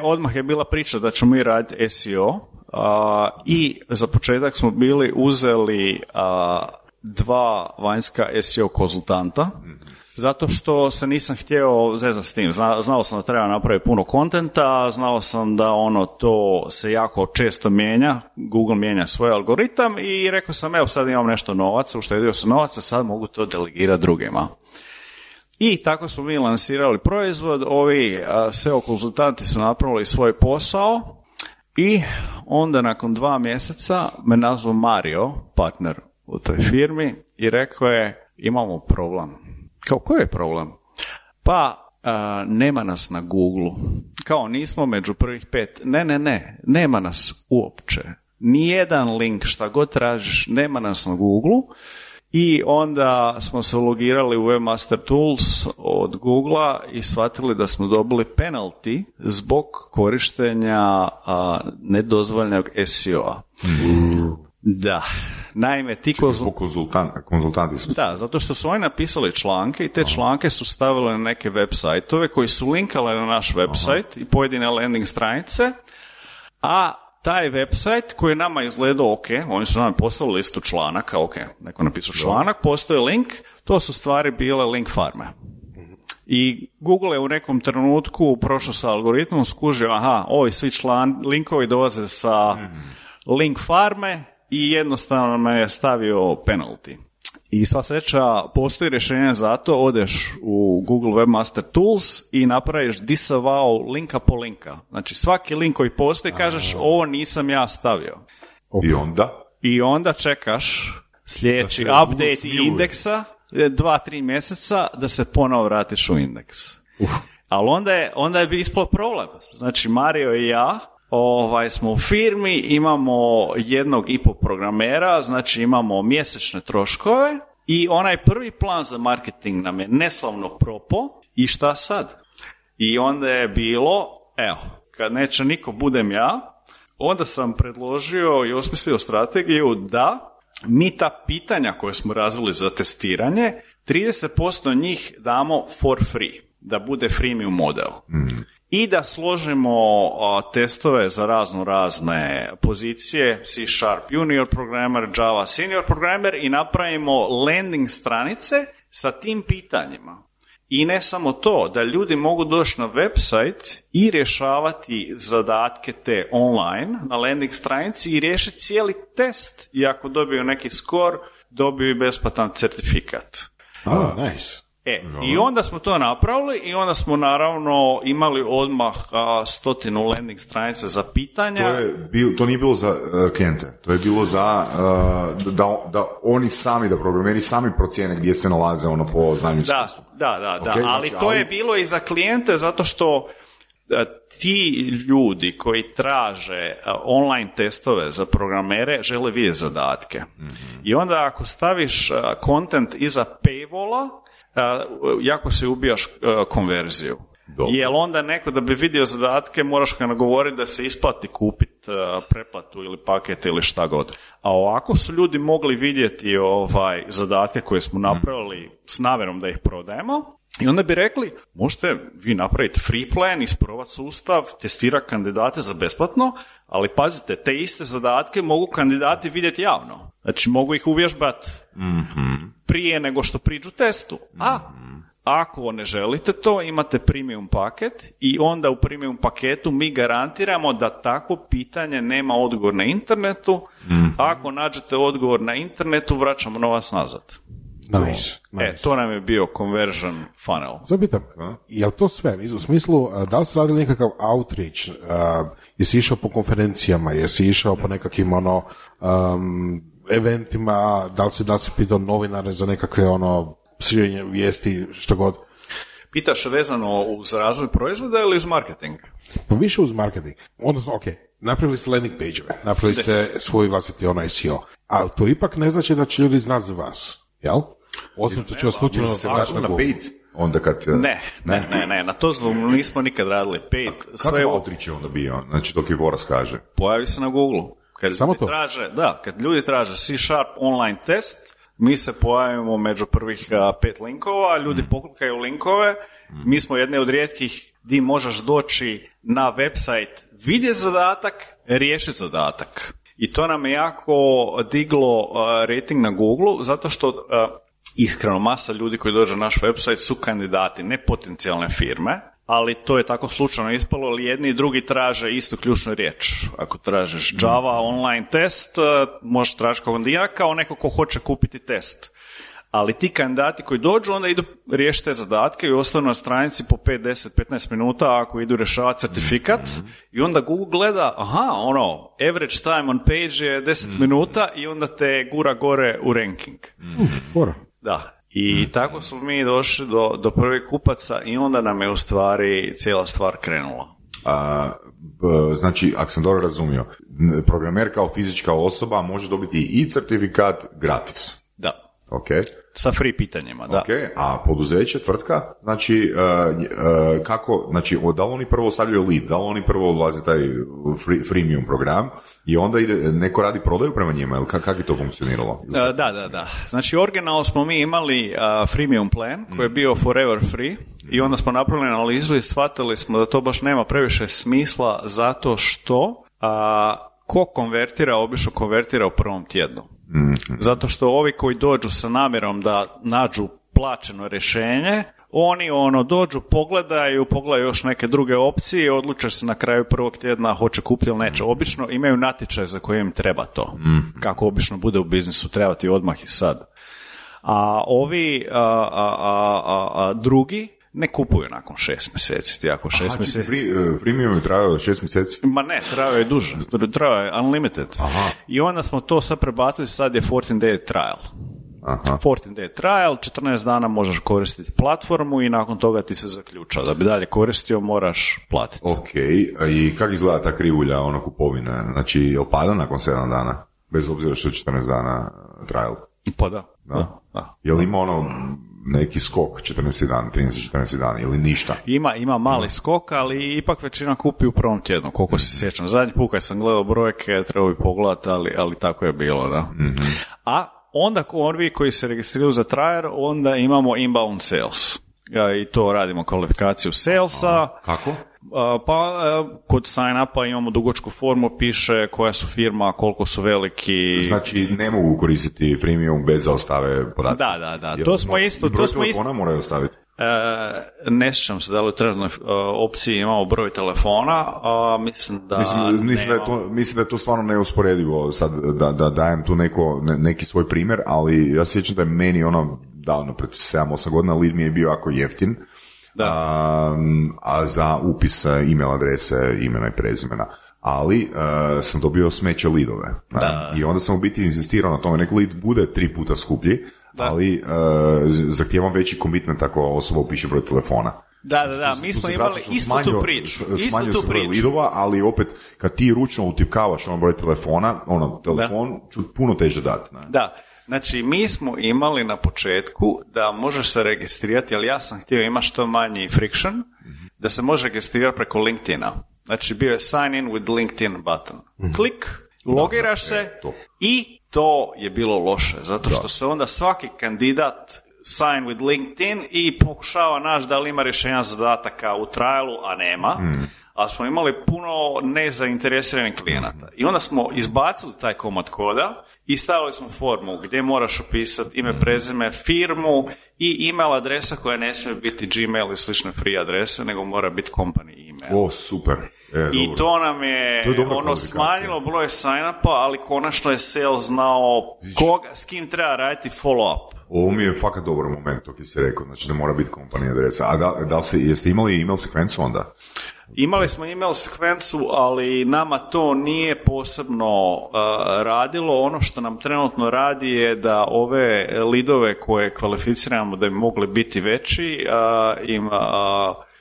Odmah je bila priča da ćemo mi raditi SEO, i za početak smo uzeli 2 vanjska SEO konzultanta, zato što se nisam htio zezati s tim. Znao sam da treba napraviti puno kontenta, znao sam da to se jako često mijenja, Google mijenja svoj algoritam i rekao sam, evo sad imam nešto novaca, uštedio sam novaca, sad mogu to delegirati drugima. I tako smo mi lansirali proizvod, ovi SEO konzultanti su napravili svoj posao i onda nakon 2 mjeseca me nazvao Mario, partner u toj firmi, i rekao je, imamo problem. Kao, koji je problem? Pa, nema nas na Google. Kao, nismo među prvih 5. Ne, nema nas uopće. Nijedan link, šta god tražiš, nema nas na Google. I onda smo se logirali u Webmaster Tools od Googlea i shvatili da smo dobili penalty zbog korištenja nedozvoljenog SEO-a. Da. Naime, ti konzultanti su... Da, zato što su oni napisali članke i te članke su stavili na neke web sajtove koji su linkali na naš web sajt i pojedine landing stranice, a taj website koji je nama izgledao ok, oni su nam poslali listu članaka, ok, neko napisao članak, postoji link, to su stvari bile link farme. I Google je u nekom trenutku prošao sa algoritmom, skužio, ovi svi linkovi dolaze sa link farme i jednostavno me je stavio penalty. I sva sreća, postoji rješenje za to, odeš u Google Webmaster Tools i napraviš disavow linka po linka. Znači svaki link koji postoji kažeš ovo nisam ja stavio. I onda čekaš sljedeći update indeksa 2-3 mjeseca da se ponovo vratiš u indeks. Ali onda je ispao problem. Znači Mario i ja smo u firmi, imamo 1,5 programera, znači imamo mjesečne troškove i onaj prvi plan za marketing nam je neslavno propao i šta sad? I onda je bilo, kad neće niko budem ja, onda sam predložio i osmislio strategiju da mi ta pitanja koje smo razvili za testiranje, 30% njih damo for free, da bude freemium model. I da složimo testove za razne pozicije, C# junior programmer, Java senior programmer i napravimo landing stranice sa tim pitanjima. I ne samo to, da ljudi mogu doći na website i rješavati zadatke te online na landing stranici i riješiti cijeli test i ako dobiju neki skor, dobiju i besplatan certifikat. Nice. I onda smo to napravili i onda smo naravno imali odmah 100 landing stranice za pitanja. To nije bilo za klijente, to je bilo za da oni sami, da programeri sami procijene gdje se nalaze po znanju iskustvu. Da. Okay, ali to je bilo i za klijente zato što ti ljudi koji traže online testove za programere žele vidjeti zadatke. I onda ako staviš content iza paywalla, jako se ubijaš konverziju. Dobro. Jer onda neko da bi vidio zadatke moraš ga nagovoriti da se isplati kupiti pretplatu ili paket ili šta god. A ovako su ljudi mogli vidjeti zadatke koje smo napravili s namjerom da ih prodajemo i onda bi rekli možete vi napraviti free plan, isprobati sustav, testirati kandidate za besplatno, ali pazite, te iste zadatke mogu kandidati vidjeti javno. Znači mogu ih uvježbati prije nego što priđu testu. A ako ne želite to, imate premium paket i onda u premium paketu mi garantiramo da takvo pitanje nema odgovor na internetu. Ako nađete odgovor na internetu, vraćamo novac nazad. Nice. To nam je bio conversion funnel. Zabitam, je li to sve? U smislu, da li ste radili nekakav outreach? Jesi išao po konferencijama? Jesi išao po nekakvim eventima? Da li si pitao novinare za nekakve širenje vijesti, što god? Pitaš vezano uz razvoj proizvoda ili uz marketing? Pa više uz marketing. Odnosno, napravili ste landing page-ove, napravili ste svoj vlastiti SEO, ali to ipak ne znači da će ljudi znati za vas, jel? Osim što će vas slučajno naći na Google. Onda kad... Ne, na to nismo nikad radili paid. Kakav outreach je onda bio? Znači, dok je Voras kaže. Pojavi se na Google. Samo to? Kad ljudi traže C# online test, mi se pojavimo među prvih 5 linkova, ljudi poklikaju linkove, mi smo jedne od rijetkih gdje možeš doći na website, vidjeti zadatak, riješiti zadatak. I to nam je jako diglo rating na Google, zato što iskreno masa ljudi koji dođu na naš website su kandidati, ne potencijalne firme, ali to je tako slučajno ispalo, ali jedni i drugi traže istu ključnu riječ. Ako tražiš Java online test, možeš tražiti kao neko ko hoće kupiti test. Ali ti kandidati koji dođu, onda idu riješiti te zadatke i ostanu na stranici po 5, 10, 15 minuta ako idu rješavati certifikat i onda Google gleda, average time on page je 10 minuta i onda te gura gore u ranking. Da. I tako smo mi došli do prvih kupaca i onda nam je u stvari cijela stvar krenula. Znači, ako sam dobro razumio, programer kao fizička osoba može dobiti i certifikat gratis. Da. Okay. Sa free pitanjima, da. Okay. A poduzeće, tvrtka, znači, kako, znači, da li oni prvo stavljaju lead, da li oni prvo odlazi taj freemium program i onda neko radi prodaju prema njima, ili kako je to funkcioniralo? Da. Znači, originalno smo mi imali freemium plan koji je bio forever free i onda smo napravili analizu i shvatili smo da to baš nema previše smisla zato što ko konvertira, obično konvertira u prvom tjednu. Zato što ovi koji dođu sa namjerom da nađu plaćeno rješenje, oni dođu, pogledaju još neke druge opcije i odluče se na kraju prvog tjedna hoće kupiti ili neće. Obično imaju natječaj za koje im treba to. Kako obično bude u biznisu, treba ti odmah i sad. A ovi drugi ne kupuju nakon 6 mjeseci. Ti ako 6 mjeseci... Freemium je trajao 6 mjeseci? Ma ne, trajao je duže. Trajao je unlimited. Aha. I onda smo to sad prebacili, sad je 14 day trial. Aha. 14 day trial, 14 dana možeš koristiti platformu i nakon toga ti se zaključa. Da bi dalje koristio, moraš platiti. Ok, i kako izgleda ta krivulja kupovine? Znači, je li pada nakon 7 dana? Bez obzira što je 14 dana trial? Pa da. Je li ima neki skok 14 dan, 13-14 dana ili ništa? Ima mali skok, ali ipak većina kupi u prvom tjednu, koliko se sjećam. Zadnji put kad sam gledao brojke, trebao bi pogledati, ali tako je bilo, da. A onda ovi koji se registriraju za trial, onda imamo inbound sales. I to radimo kvalifikaciju salesa. Kako? Kod sign-upa imamo dugačku formu, piše koja su firma, koliko su veliki. Znači ne mogu koristiti freemium bez da ostave podatke? Da. To smo isto. Broj telefona moraju ostaviti? Ne sjećam se da li u trenutnoj opciji imamo broj telefona, mislim da je to stvarno neusporedivo sad da dajem tu neki svoj primjer, ali ja sjećam da je meni davno, pred 7-8 godina, lead mi je bio jako jeftin, a za upis email adrese, imena i prezimena, ali sam dobio smeće leadove. I onda sam u biti insistirao na tome, nek lead bude 3 puta skuplji, ali zahtijevam veći commitment ako osoba upiše broj telefona. Da, mi smo imali istu tu priču. Smanjio se broj lidova, ali opet kad ti ručno utipkavaš broj telefona, telefon ću puno teže dati. Da. Znači, mi smo imali na početku da možeš se registrirati, ali ja sam htio imati što manji friction, da se može registrirati preko LinkedIna. Znači, bio je sign in with LinkedIn button. Klik, logiraš se i to je bilo loše, zato što se onda svaki kandidat sign with LinkedIn i pokušava naći da li ima rješenja zadataka u trialu, a nema. Ali smo imali puno nezainteresiranih klijenata. I onda smo izbacili taj komad koda i stavili smo formu gdje moraš upisati ime, prezime, firmu i email adresa koja ne smije biti Gmail i slične free adrese, nego mora biti company email. O, super. I dobro. to nam je smanjilo broj sign-upa, ali konačno je sales znao s kim treba raditi follow-up. Ovo mi je fakat dobar moment, to ki si rekao, znači da mora biti company adresa. A jeste imali email sekvencu onda? Imali smo email sekvencu, ali nama to nije posebno radilo. Ono što nam trenutno radi je da ove lidove koje kvalificiramo da bi mogli biti veći, im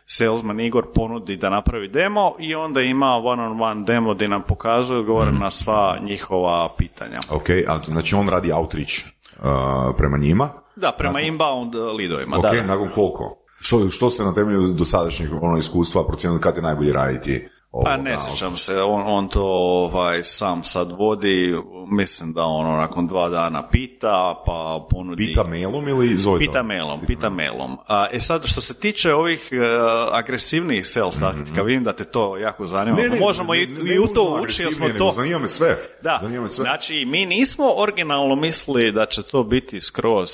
salesman Igor ponudi da napravi demo i onda ima one-on-one demo gdje nam pokazuje, odgovore na sva njihova pitanja. Ok, znači on radi outreach prema njima? Da, prema inbound lidovima. Ok, da. Nakon koliko? Što se na temelju dosadašnjih iskustva procijenili kad je najbolje raditi? Pa ne sjećam se, on to sam sad vodi, mislim da nakon 2 dana pita, pa ponudi... Pita mailom ili zove? Pita mailom. Sad, što se tiče ovih agresivnijih sales taktika, vidim da te to jako zanima. Možemo i u to ući, jer smo to... Zanima me sve. Da, znači, mi nismo originalno mislili da će to biti skroz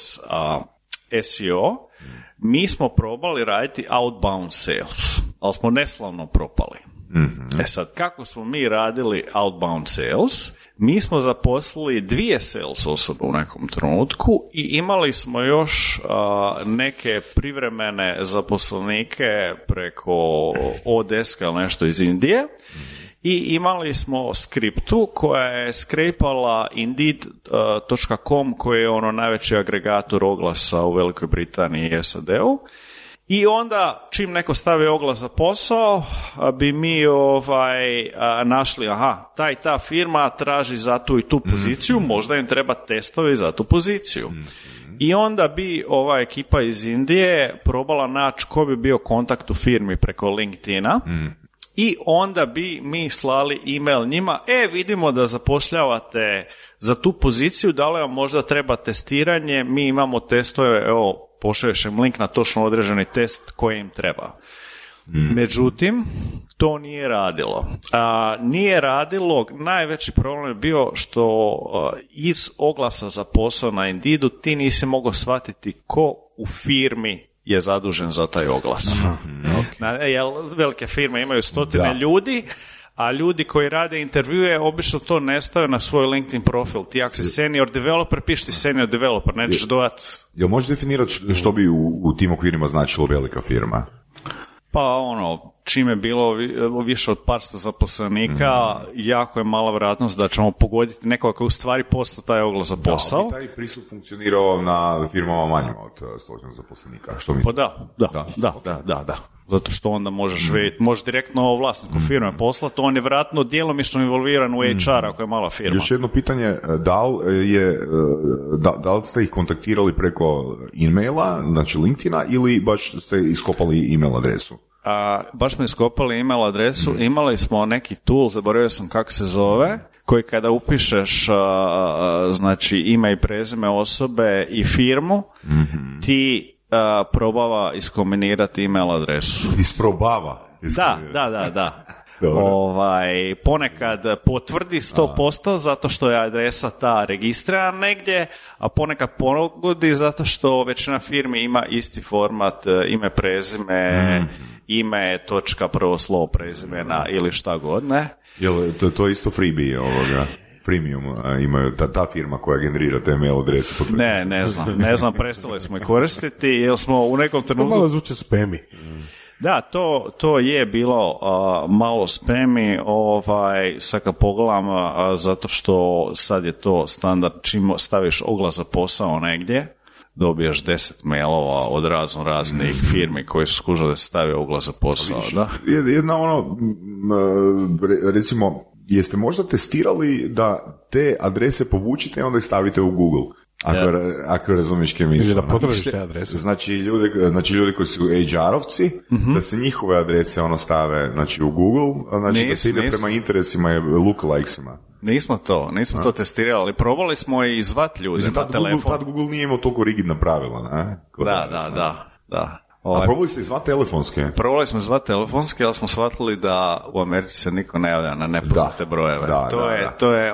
SEO, mi smo probali raditi outbound sales, ali smo neslavno propali. Sad, kako smo mi radili outbound sales? Mi smo zaposlili 2 sales osobe u nekom trenutku i imali smo još neke privremene zaposlenike preko Odeska ili nešto iz Indije i imali smo skriptu koja je skrepala Indeed.com koji je najveći agregator oglasa u Velikoj Britaniji i SAD-u. I onda, čim neko stavi oglas za posao, bi mi našli, ta firma traži za tu i tu poziciju, možda im treba testovi za tu poziciju. I onda bi ova ekipa iz Indije probala naći ko bi bio kontakt u firmi preko LinkedIna, i onda bi mi slali email njima, vidimo da zapošljavate za tu poziciju, da li vam možda treba testiranje, mi imamo testove, pošalješ im link na točno određeni test koji im treba. Međutim, to nije radilo. Nije radilo, najveći problem je bio što iz oglasa za posao na Indeedu ti nisi mogao shvatiti ko u firmi je zadužen za taj oglas. Jer velike firme imaju stotine ljudi, a ljudi koji rade intervjue obično to ne stave na svoj LinkedIn profil. Ti ako si senior developer, piši ti senior developer, nećeš dodati. Jel možeš definirati što bi u tim okvirima značilo velika firma? Pa čim je bilo više od par sto zaposlenika, jako je mala vjerojatnost da ćemo pogoditi nekoga koji u stvari postao taj oglas za posao. Da, taj pristup funkcionirao na firmama manjima od 100 zaposlenika. Što pa da. Zato što onda možeš vidjeti, možeš direktno vlasniku firme poslati, on je vjerojatno djelomično involviran u HR ako je mala firma. Još jedno pitanje, da li ste ih kontaktirali preko e-maila, znači LinkedIna, ili baš ste iskopali e-mail adresu? Baš smo iskopali e-mail adresu, imali smo neki tool, zaboravio sam kako se zove, koji kada upišeš znači ime i prezime osobe i firmu, ti probava iskombinirati email adresu. Isprobava? Da. Ponekad potvrdi 100% zato što je adresa ta registrirana negdje, a ponekad pogodi zato što većina firmi ima isti format, ime, prezime, ime, točka, prvo slovo prezimena ili šta god, ne? Jel to je isto freebie ovoga? Premium imaju ta firma koja generira te mail adrese? Ne znam, prestali smo i koristiti jer smo u nekom trenutku... Malo zvuče spami. Da, to je bilo malo spami, sad kad pogledam, zato što sad je to standard, čim staviš oglas za posao negdje, dobiješ 10 mailova od raznih firmi koji su skužili da se stavi oglas za posao. Da? Jedna recimo, jeste možda testirali da te adrese povučite i onda ih stavite u Google? Ako razumiješ kje mislim. Ili da potražiš te adrese. Znači ljudi koji su HR-ovci, da se njihove adrese stave u Google, da se ide prema interesima i lookalikesima. Nismo to testirali, ali probali smo i zvati ljude na telefon. Tad Google nije imao toliko rigidna pravila, ne? Da. A probali ste zvati telefonske? Probali smo zvati telefonske, ali smo shvatili da u Americi se niko ne javlja na nepoznate brojeve. To je,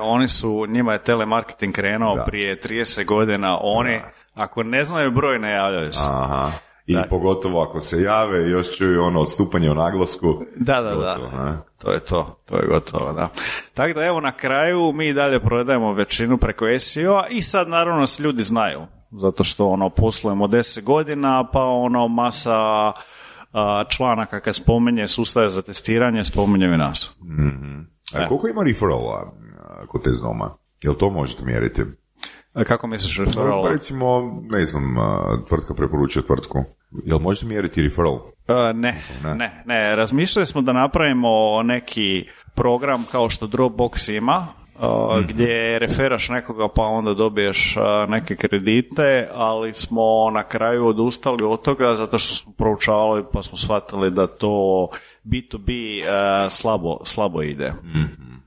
njima je telemarketing krenuo prije 30 godina, ako ne znaju broj, ne javljaju se. Aha. I pogotovo ako se jave, još čuju odstupanje u naglasku. Da. To je gotovo, da. Tako da evo na kraju mi dalje prodajemo većinu preko SEO-a i sad naravno se ljudi znaju. Zato što poslujemo 10 godina, pa masa članaka kad spominje sustave za testiranje, spominje i nas. A koliko ima referrala kod Test Doma? Jel to možete mjeriti? Kako misliš referral? Pa recimo, ne znam, tvrtka preporučuje tvrtku. Jel možete mjeriti referral? Ne. Razmišljali smo da napravimo neki program kao što Dropbox ima, gdje referaš nekoga pa onda dobiješ neke kredite, ali smo na kraju odustali od toga zato što smo proučavali pa smo shvatili da to B2B slabo ide.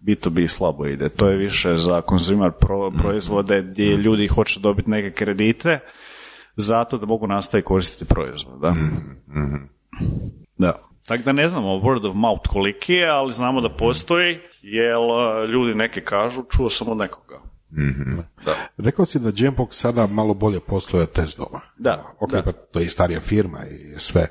B2B slabo ide. To je više za consumer proizvode gdje ljudi hoće dobiti neke kredite zato da mogu nastaviti koristiti proizvod. Da. Tako da ne znamo word of mouth koliki je, ali znamo da postoji, jer ljudi neki kažu, čuo sam od nekoga. Da. Rekao si da Jambox sada malo bolje posluje od Test Doma. Da. Pa to je i starija firma i sve.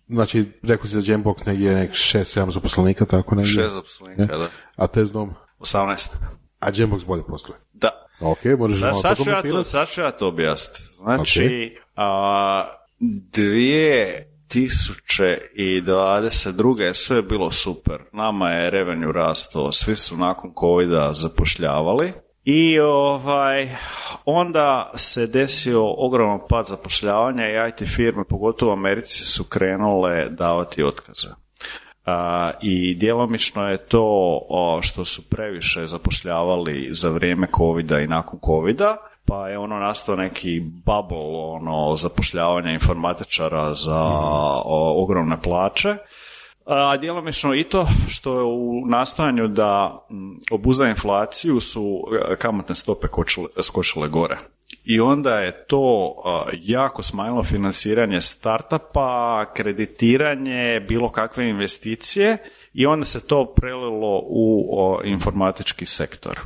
Znači, rekao si za Jambox negdje 6-7 zaposlenika, tako negdje? 6 zaposlenika, da. A Test Dom? 18. A Jambox bolje posluje? Da. Ok, možeš malo to komentirati? Sad ću ja to objasniti. Znači, 2022. sve je bilo super. Nama je revenue rasto, svi su nakon covida zapošljavali i onda se desio ogroman pad zapošljavanja i IT firme, pogotovo u Americi, su krenule davati otkaze. I djelomično je to što su previše zapošljavali za vrijeme covida i nakon covida, pa je nastao neki bubble zapošljavanja informatičara za ogromne plaće. A djelomično i to što je u nastojanju da obuzda inflaciju su kamatne stope skočile gore. I onda je to jako smanjilo financiranje startupa, kreditiranje, bilo kakve investicije i onda se to prelilo u informatički sektor.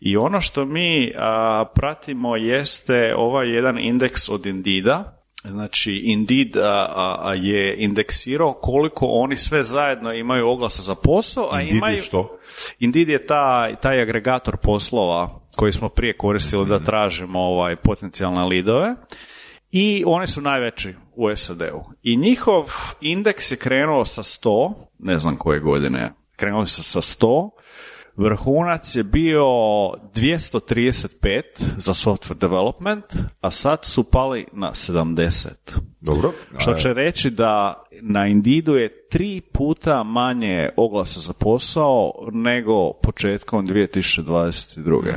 I ono što mi pratimo jeste ovaj jedan indeks od Indeeda. Znači, Indeed je indeksirao koliko oni sve zajedno imaju oglasa za posao, a imaju... Što? Indeed je taj agregator poslova koji smo prije koristili da tražimo potencijalne lidove i oni su najveći u SAD-u. I njihov indeks je krenuo sa 100, ne znam koje godine, krenuo se sa 100, vrhunac je bio 235 za software development, a sad su pali na 70. Dobro. Što će reći da na Indeedu je 3 puta manje oglasa za posao nego početkom 2022.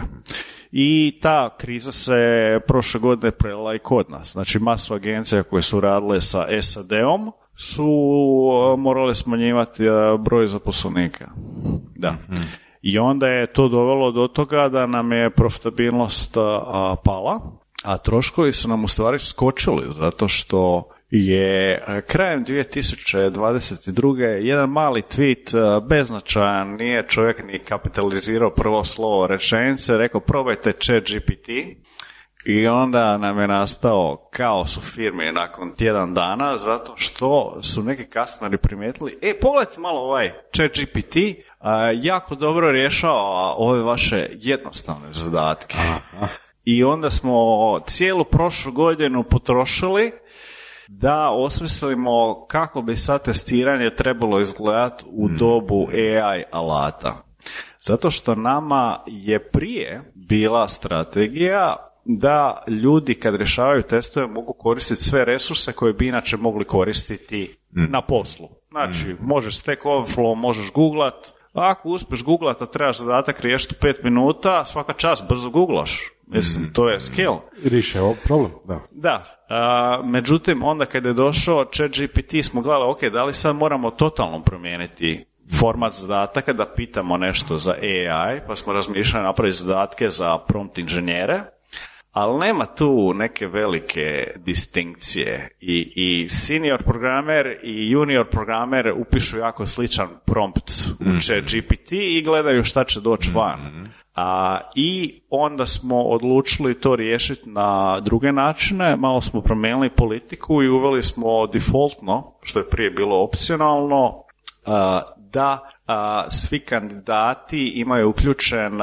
I ta kriza se prošle godine prelila i kod nas. Znači, masu agencija koje su radile sa SAD-om su morale smanjivati broj zaposlenika. Da. I onda je to dovelo do toga da nam je profitabilnost pala, a troškovi su nam u stvari skočili, zato što je krajem 2022. jedan mali tweet beznačajan, nije čovjek ni kapitalizirao prvo slovo rečenice, rekao probajte ChatGPT i onda nam je nastao kaos u firmi nakon tjedan dana, zato što su neki customeri primijetili, pogledajte malo ovaj ChatGPT, jako dobro rješava ove vaše jednostavne zadatke. I onda smo cijelu prošlu godinu potrošili da osmislimo kako bi sad testiranje trebalo izgledati u dobu AI alata. Zato što nama je prije bila strategija da ljudi kad rješavaju testove mogu koristiti sve resurse koje bi inače mogli koristiti na poslu. Znači, možeš Stack Overflow, možeš googlat, ako uspješ googlat, a trebaš zadatak riješiti 5 minuta, svaka čast, brzo googlaš. Mislim, to je skill. Riješi je problem, da. Da, međutim, onda kad je došao ChatGPT smo gledali, ok, da li sad moramo totalno promijeniti format zadataka da pitamo nešto za AI, pa smo razmišljali napraviti zadatke za prompt inženjere, ali nema tu neke velike distinkcije i senior programer i junior programer upišu jako sličan prompt u ChatGPT i gledaju šta će doći van. I onda smo odlučili to riješiti na druge načine, malo smo promijenili politiku i uveli smo defaultno, što je prije bilo opcionalno, da svi kandidati imaju uključen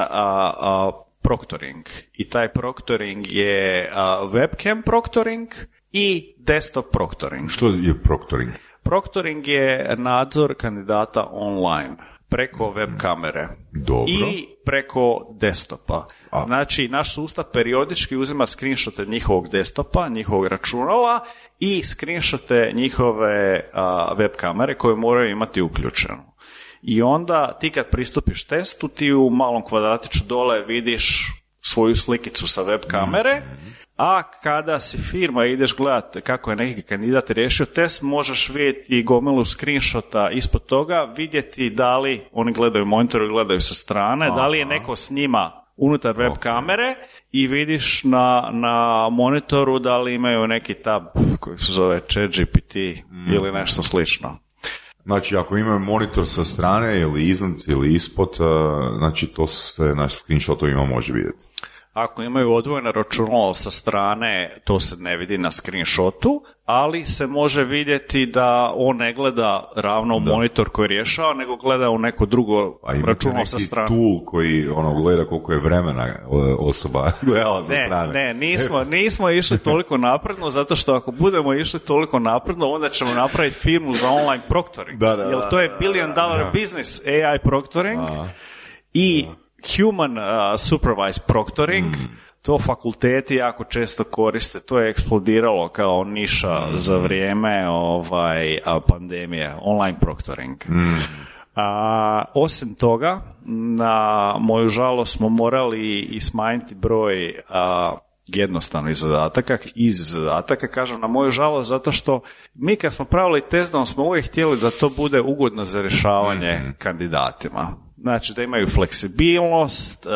proctoring. I taj proctoring je webcam proctoring i desktop proctoring. Što je proctoring? Proctoring je nadzor kandidata online preko web kamere. Dobro. I preko desktopa. Znači, naš sustav periodički uzima screenshote njihovog desktopa, njihovog računala i screenshote njihove web kamere koje moraju imati uključeno. I onda ti kad pristupiš testu, ti u malom kvadratiću dole vidiš svoju slikicu sa web kamere, a kada si firma i ideš gledati kako je neki kandidat riješio test, možeš vidjeti gomilu screenshota ispod toga, vidjeti da li oni gledaju monitoru i gledaju sa strane, da li je neko s njima unutar web kamere i vidiš na monitoru da li imaju neki tab koji se zove ChatGPT ili nešto slično. Znači, ako imaju monitor sa strane ili iznad ili ispod, znači to se na screenshotovima može vidjeti. Ako imaju odvojeno računalo sa strane, to se ne vidi na screenshotu, ali se može vidjeti da on ne gleda ravno u monitor koji rješava, nego gleda u neko drugo računalo sa strane. A imate neki tool koji gleda koliko je vremena osoba gledala sa strane? Ne, nismo išli toliko napredno, zato što ako budemo išli toliko napredno, onda ćemo napraviti firmu za online proctoring. Jer to je $1 billion business, AI proctoring i human supervised proctoring, to fakulteti jako često koriste, to je eksplodiralo kao niša za vrijeme pandemije, online proctoring. Osim toga, na moju žalost smo morali i smanjiti broj jednostavnih zadataka, iz zadataka, kažem na moju žalost, zato što mi kad smo pravili test, da smo uvijek htjeli da to bude ugodno za rješavanje kandidatima. Znači da imaju fleksibilnost,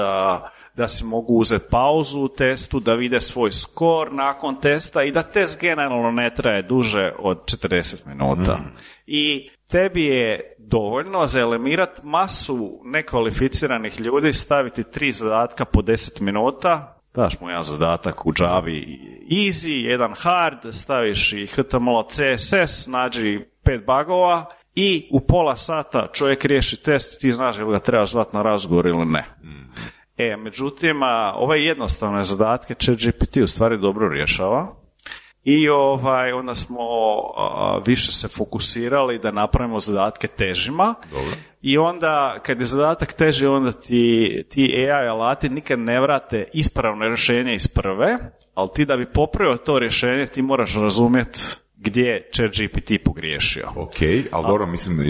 da si mogu uzeti pauzu u testu, da vide svoj skor nakon testa i da test generalno ne traje duže od 40 minuta. I tebi je dovoljno za eliminirati masu nekvalificiranih ljudi, staviti 3 zadatka po 10 minuta, daš mu jedan zadatak u Javi easy, jedan hard, staviš i HTML, CSS, nađi 5 bugova i u pola sata čovjek riješi test i ti znaš ili ga trebaš zvati na razgovor ili ne. Međutim, ove jednostavne zadatke ChatGPT u stvari dobro rješava i onda smo više se fokusirali da napravimo zadatke težima. Dobro. I onda kad je zadatak teži, onda ti AI alati nikad ne vrate ispravno rješenje iz prve, ali ti da bi popravio to rješenje ti moraš razumjeti gdje je ChatGPT pogriješio. Ok, ali dobro, mislim,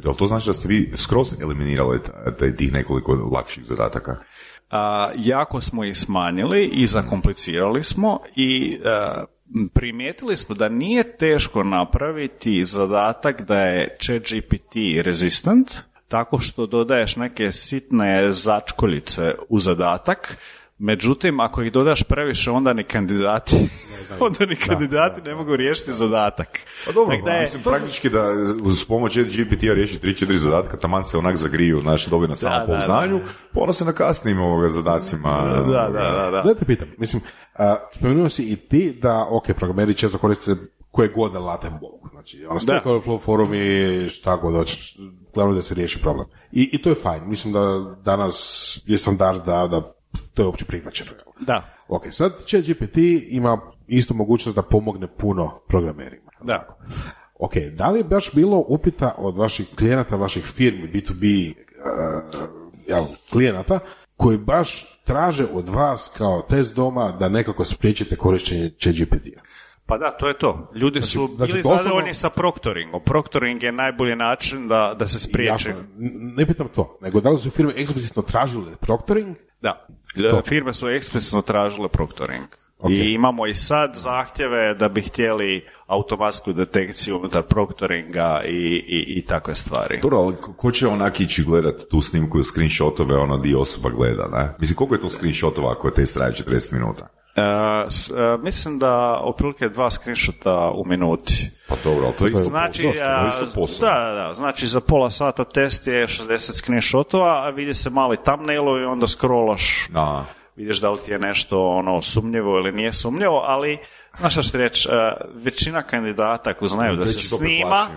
jel to znači da ste vi skroz eliminirali tih nekoliko lakših zadataka? Jako smo ih smanjili i zakomplicirali smo i primijetili smo da nije teško napraviti zadatak da je ChatGPT resistant, tako što dodaješ neke sitne začkoljice u zadatak. Međutim, ako ih dodaš previše, onda ni kandidati ne mogu riješiti zadatak. Pa dobro, mislim praktički da uz pomoć GPT-a riješi 3-4 zadatka, taman se onak zagriju, znači dobije na samopouznanju, onda se na kasnim zadacima. Da te pitam, mislim, spomenuo si i ti da, programeri često koriste koje god alate mogu. Znači, Stack Overflow forumi, šta god hoćeš, glavno da se riješi problem. I to je fajn. Mislim da danas je standard da to je uopće prihvaćeno. Da. Sad ChatGPT ima istu mogućnost da pomogne puno programerima. Da. Da li je baš bilo upita od vaših klijenata, vaših firmi, B2B klijenata, koji baš traže od vas kao test doma da nekako spriječite korištenje ChatGPT-a? Pa da, to je to. Ljudi su bili zadovoljni sa proctoringom. Proctoring je najbolji način da se spriječi. Jasno, ne pitam to, nego da li su firme eksplicitno tražile proctoring? Da, firme su eksplicitno tražile proctoring. I imamo i sad zahtjeve da bi htjeli automatsku detekciju unutar proctoringa i takve stvari. Dobro, ali ko će onak ići gledat tu snimku i screenshotove di osoba gleda, ne? Mislim, koliko je to screenshotova ako je test traje 40 minuta? Mislim da otprilike 2 screenshota u minuti. Pa dobro, ali to je isto, znači, posao. Da, znači za pola sata test je 60 screenshotova, a vidi se mali thumbnailovi i onda scrollaš. Vidiš da li ti je nešto sumnjivo ili nije sumnjivo, ali znaš šta ću ti reći, većina kandidata ako znaju da se snima,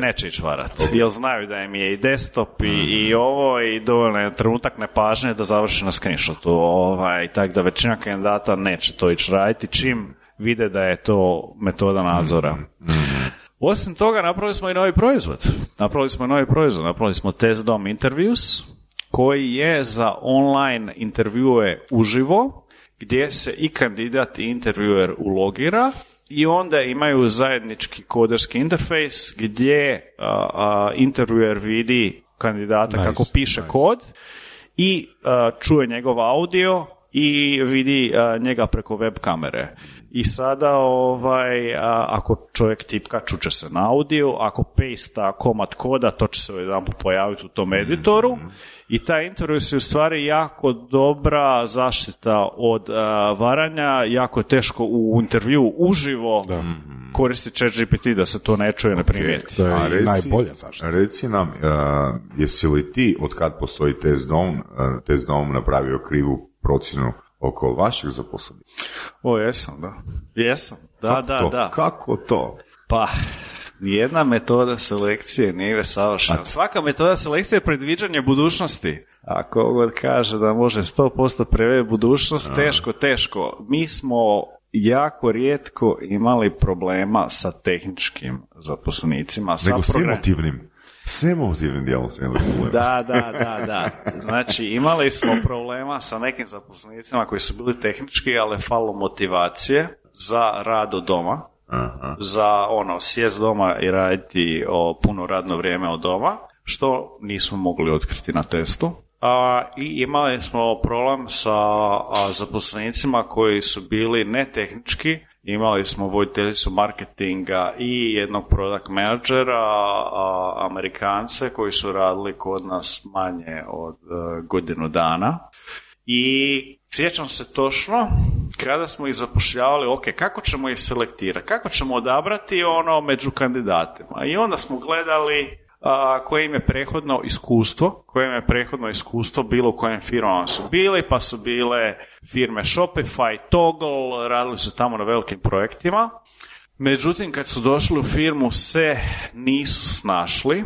neće ići varati. Jer znaju da im je i desktop i ovo i dovoljno je trenutak nepažnje da završi na screenshotu. Tako da većina kandidata neće to ići raditi čim vide da je to metoda nadzora. Osim toga napravili smo i novi proizvod. Napravili smo Test Dom Interviews, koji je za online intervjue uživo, gdje se i kandidat i intervjuer ulogira i onda imaju zajednički koderski interfejs gdje intervjuer vidi kandidata kako piše kod i čuje njegov audio i vidi njega preko web kamere. I sada ako čovjek tipka, čuće se na audio, ako pasta komad koda, to će se jedanput pojaviti u tom editoru i taj intervju je u stvari jako dobra zaštita od varanja, jako je teško u intervju uživo koristiti ChatGPT da se to ne čuje, ne primijeti. To je najbolja zaštita. Reci nam, jesi li ti, od kad postoji Test Dom napravio krivu procjenu oko vašeg zaposlenika? Jesam, da. Jesam, da. Kako to? Pa, nijedna metoda selekcije nije savršena. Svaka metoda selekcije je predviđanje budućnosti. Ako god kaže da može 100% predvidjeti budućnost, teško. Mi smo jako rijetko imali problema sa tehničkim zaposlenicima. Nego s emotivnim dijelom se imali problema. Da. Znači, imali smo problema sa nekim zaposlenicima koji su bili tehnički, ali falo motivacije za rad od doma. Za sjest doma i raditi puno radno vrijeme od doma, što nismo mogli otkriti na testu. i imali smo problem sa zaposlenicima koji su bili netehnički. Imali smo voditeljicu marketinga i jednog product menadžera, Amerikance koji su radili kod nas manje od godinu dana. I sjećam se točno kada smo ih zapošljavali, ok, kako ćemo ih selektirati, kako ćemo odabrati među kandidatima. I onda smo gledali koje im je prethodno iskustvo bilo u kojim firmama su bili, pa su bile firme Shopify, Toggle, radili su tamo na velikim projektima. Međutim, kad su došli u firmu se nisu snašli.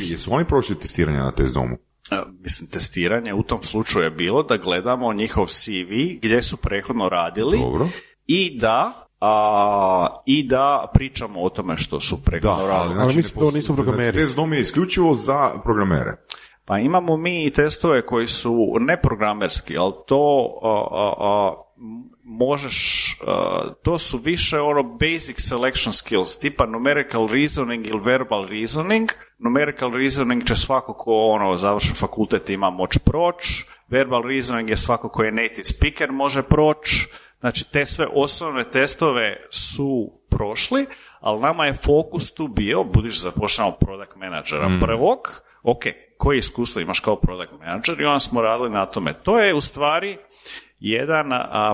Jesu oni prošli testiranje na test domu? Testiranje u tom slučaju je bilo da gledamo njihov CV gdje su prethodno radili. Dobro. I da pričamo o tome što su prethodno radili. Ali mislim da nisu programeri. Test dom je isključivo za programere. Pa imamo mi i testove koji su neprogramerski, ali to to su više basic selection skills, tipa numerical reasoning ili verbal reasoning. Numerical reasoning će svako ko završi fakultet ima moći proći, verbal reasoning je svako ko je native speaker može proći. Znači, te sve osnovne testove su prošli, ali nama je fokus tu bio, budući zapošljamo product menadžera prvog, ok, koje iskustvo imaš kao product menadžer, i onda smo radili na tome. To je u stvari jedan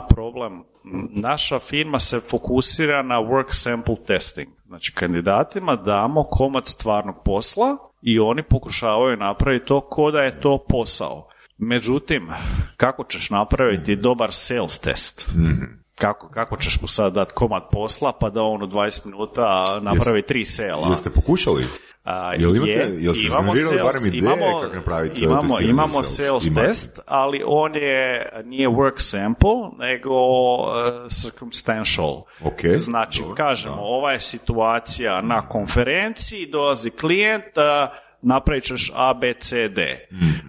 problem. Naša firma se fokusira na work sample testing. Znači, kandidatima damo komad stvarnog posla i oni pokušavaju napraviti to ko da je to posao. Međutim, kako ćeš napraviti dobar sales test? Kako ćeš mu sad dati komad posla pa da on u 20 minuta napravi 3 sela? Jeste pokušali? Imamo sales test, ali on nije work sample, nego circumstantial. Znači, kažemo, ova je situacija na konferenciji, dolazi klijent, napravit ćeš A, B, C, D.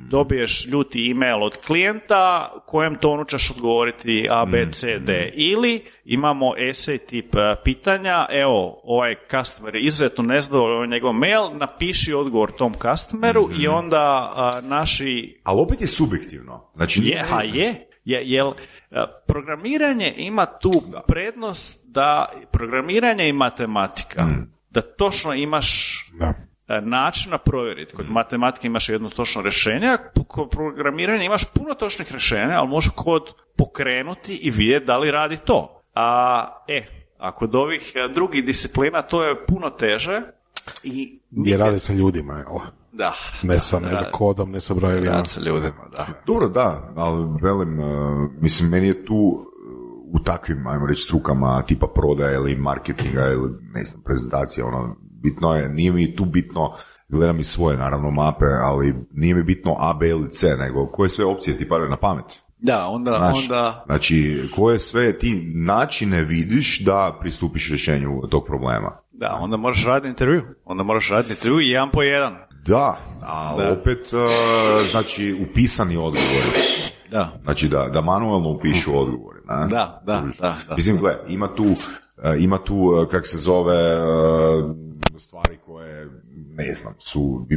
Dobiješ ljuti email od klijenta, kojem tonu ćeš odgovoriti A, B, C, D. Ili imamo essay tip pitanja, evo, ovaj customer je izuzetno nezadovoljan njegov mail, napiši odgovor tom customeru i onda naši... Ali opet je subjektivno. Znači, Jer programiranje ima tu prednost da programiranje i matematika, da točno imaš... načina provjeriti. Kod matematike imaš jedno točno rješenje, kod programiranja imaš puno točnih rješenja, ali može kod pokrenuti i vidjeti da li radi to. A kod ovih drugih disciplina to je puno teže. Gdje rade sa ljudima, jel? Da. Ne sa kodom, ne sa brojevima. Rade sa ljudima, da. Dobro, da, ali velim, mislim, meni je tu u takvim, ajmo reći, strukama tipa prodaje ili marketinga ili, ne znam, prezentacija, bitno je, nije mi tu bitno, gledam i svoje, naravno, mape, ali nije mi bitno A, B ili C, nego koje sve opcije ti padaju na pamet. Da, onda... Znači, koje sve ti načine vidiš da pristupiš rješenju tog problema. Da, onda moraš raditi intervju. I jedan po jedan. Da, ali opet, znači, upisani odgovori. Da. Znači, da manualno upišu odgovori. Da. Mislim, gle, ima tu, kak se zove, stvari koje, ne znam,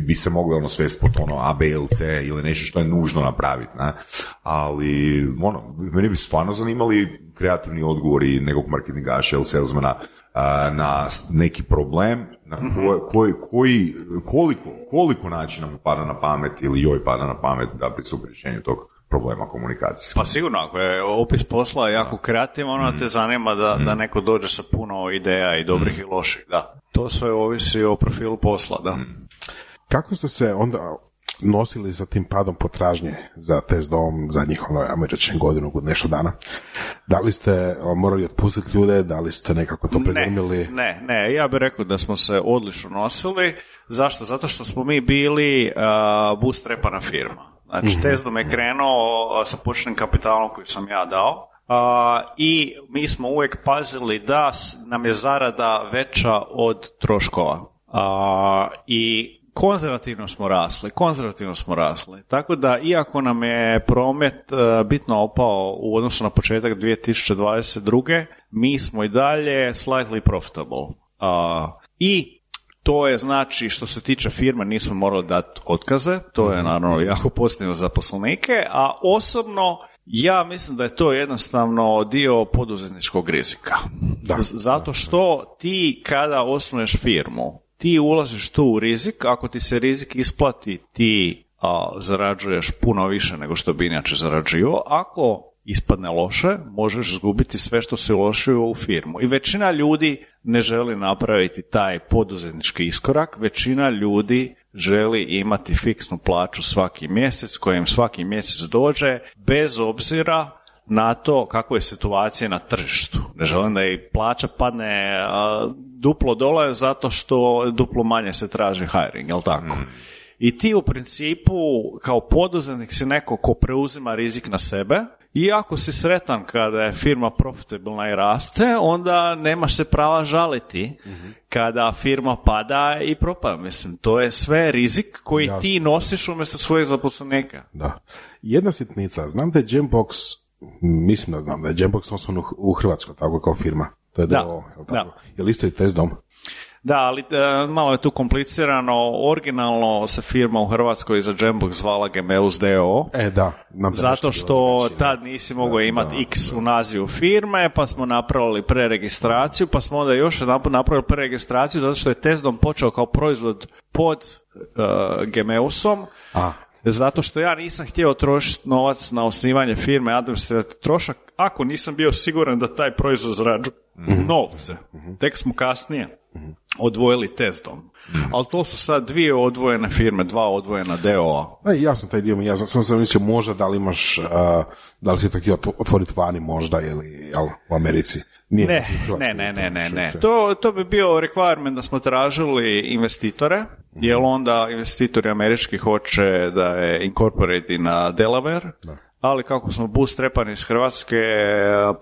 bi se mogle svesti pod A, B ili C ili nešto što je nužno napraviti, ne? Ali, meni bi stvarno zanimali kreativni odgovori nekog marketingaša ili salesmana na neki problem, na koliko načina mu pada na pamet ili joj pada na pamet da pristupi rješenju tog problema komunikacije. Pa sigurno, ako je opis posla jako kreativan, te zanima da neko dođe sa puno ideja i dobrih i loših, da. To sve ovisi o profilu posla, da. Kako ste se onda nosili sa tim padom potražnje za test dom zadnjih, ajmo reći, godinu, nešto dana? Da li ste morali otpustiti ljude, da li ste nekako to predumili? Ne, ja bih rekao da smo se odlično nosili. Zašto? Zato što smo mi bili bootstrapana firma. Znači, Tesdom je krenuo sa početnim kapitalom koji sam ja dao i mi smo uvijek pazili da nam je zarada veća od troškova. I konzervativno smo rasli. Tako da, iako nam je promet bitno opao u odnosu na početak 2022. mi smo i dalje slightly profitable. I To je znači što se tiče firme nismo morali dati otkaze, to je naravno jako pozitivno za zaposlenike, a osobno ja mislim da je to jednostavno dio poduzetničkog rizika. Zato što ti kada osnuješ firmu, ti ulaziš tu u rizik, ako ti se rizik isplati ti zarađuješ puno više nego što bi inače zarađivao, ako ispadne loše, možeš izgubiti sve što si uložio u firmu. I većina ljudi ne želi napraviti taj poduzetnički iskorak, većina ljudi želi imati fiksnu plaću svaki mjesec, kojem svaki mjesec dođe, bez obzira na to kako je situacija na tržištu. Ne želim da i plaća padne duplo dole zato što duplo manje se traži hiring, jel tako? I ti u principu kao poduzetnik si neko ko preuzima rizik na sebe i ako si sretan kada je firma profitabilna i raste, onda nemaš se prava žaliti kada firma pada i propada. Mislim, to je sve rizik koji ti nosiš umjesto svojih zaposlenika. Da. Jedna sitnica, znam da je Jambox, mislim da znam da je Jambox osnovan u Hrvatskoj, tako kao firma. To je je li isto i Testdom? Da, ali malo je tu komplicirano. Originalno se firma u Hrvatskoj za Jambox zvala Gemeus D.O. Zato što tad nisi mogao imati X u nazivu firme, pa smo napravili preregistraciju, pa smo onda još jedan put napravili preregistraciju zato što je Testdom počeo kao proizvod pod Gemeusom. Zato što ja nisam htio trošiti novac na osnivanje firme, administrativni trošak, ako nisam bio siguran da taj proizvod zarađuje novce. Tek smo kasnije odvojili Testdom. Ali to su sad dvije odvojene firme, dva odvojena D.O.A. Jasno, taj dio mi jasno. Sam mislio možda da li imaš, da li si to htio otvoriti vani možda ili u Americi. Ne. To bi bio requirement da smo tražili investitore, jer onda investitori američki hoće da je incorporate na Delaware, ali kako smo bootstrapani iz Hrvatske,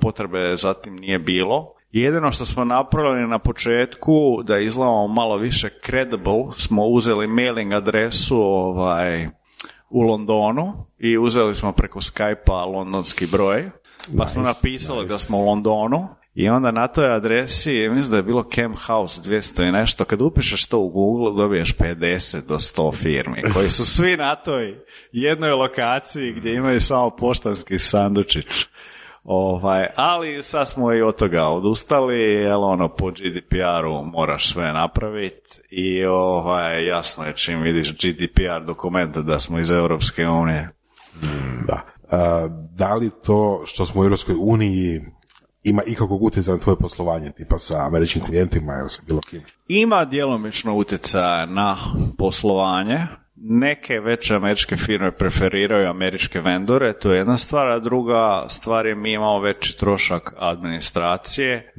potrebe zatim nije bilo. Jedino što smo napravili na početku, da izgledamo malo više credible, smo uzeli mailing adresu u Londonu i uzeli smo preko Skype-a londonski broj, pa smo napisali da smo u Londonu i onda na toj adresi, mislim da je bilo Camp House 200 i nešto, kad upišeš to u Google dobiješ 50 do 100 firmi koji su svi na toj jednoj lokaciji gdje imaju samo poštanski sandučić. Ali sad smo i od toga odustali, jer po GDPR-u moraš sve napraviti i jasno je čim vidiš GDPR dokumenta da smo iz Europske unije. Da li to što smo u Europskoj uniji ima ikakvog utjecaja na tvoje poslovanje, tipa sa američkim klijentima ili sa bilo kim? Ima djelomično utjecaja na poslovanje. Neke veće američke firme preferiraju američke vendore, to je jedna stvar, a druga stvar je mi imamo veći trošak administracije,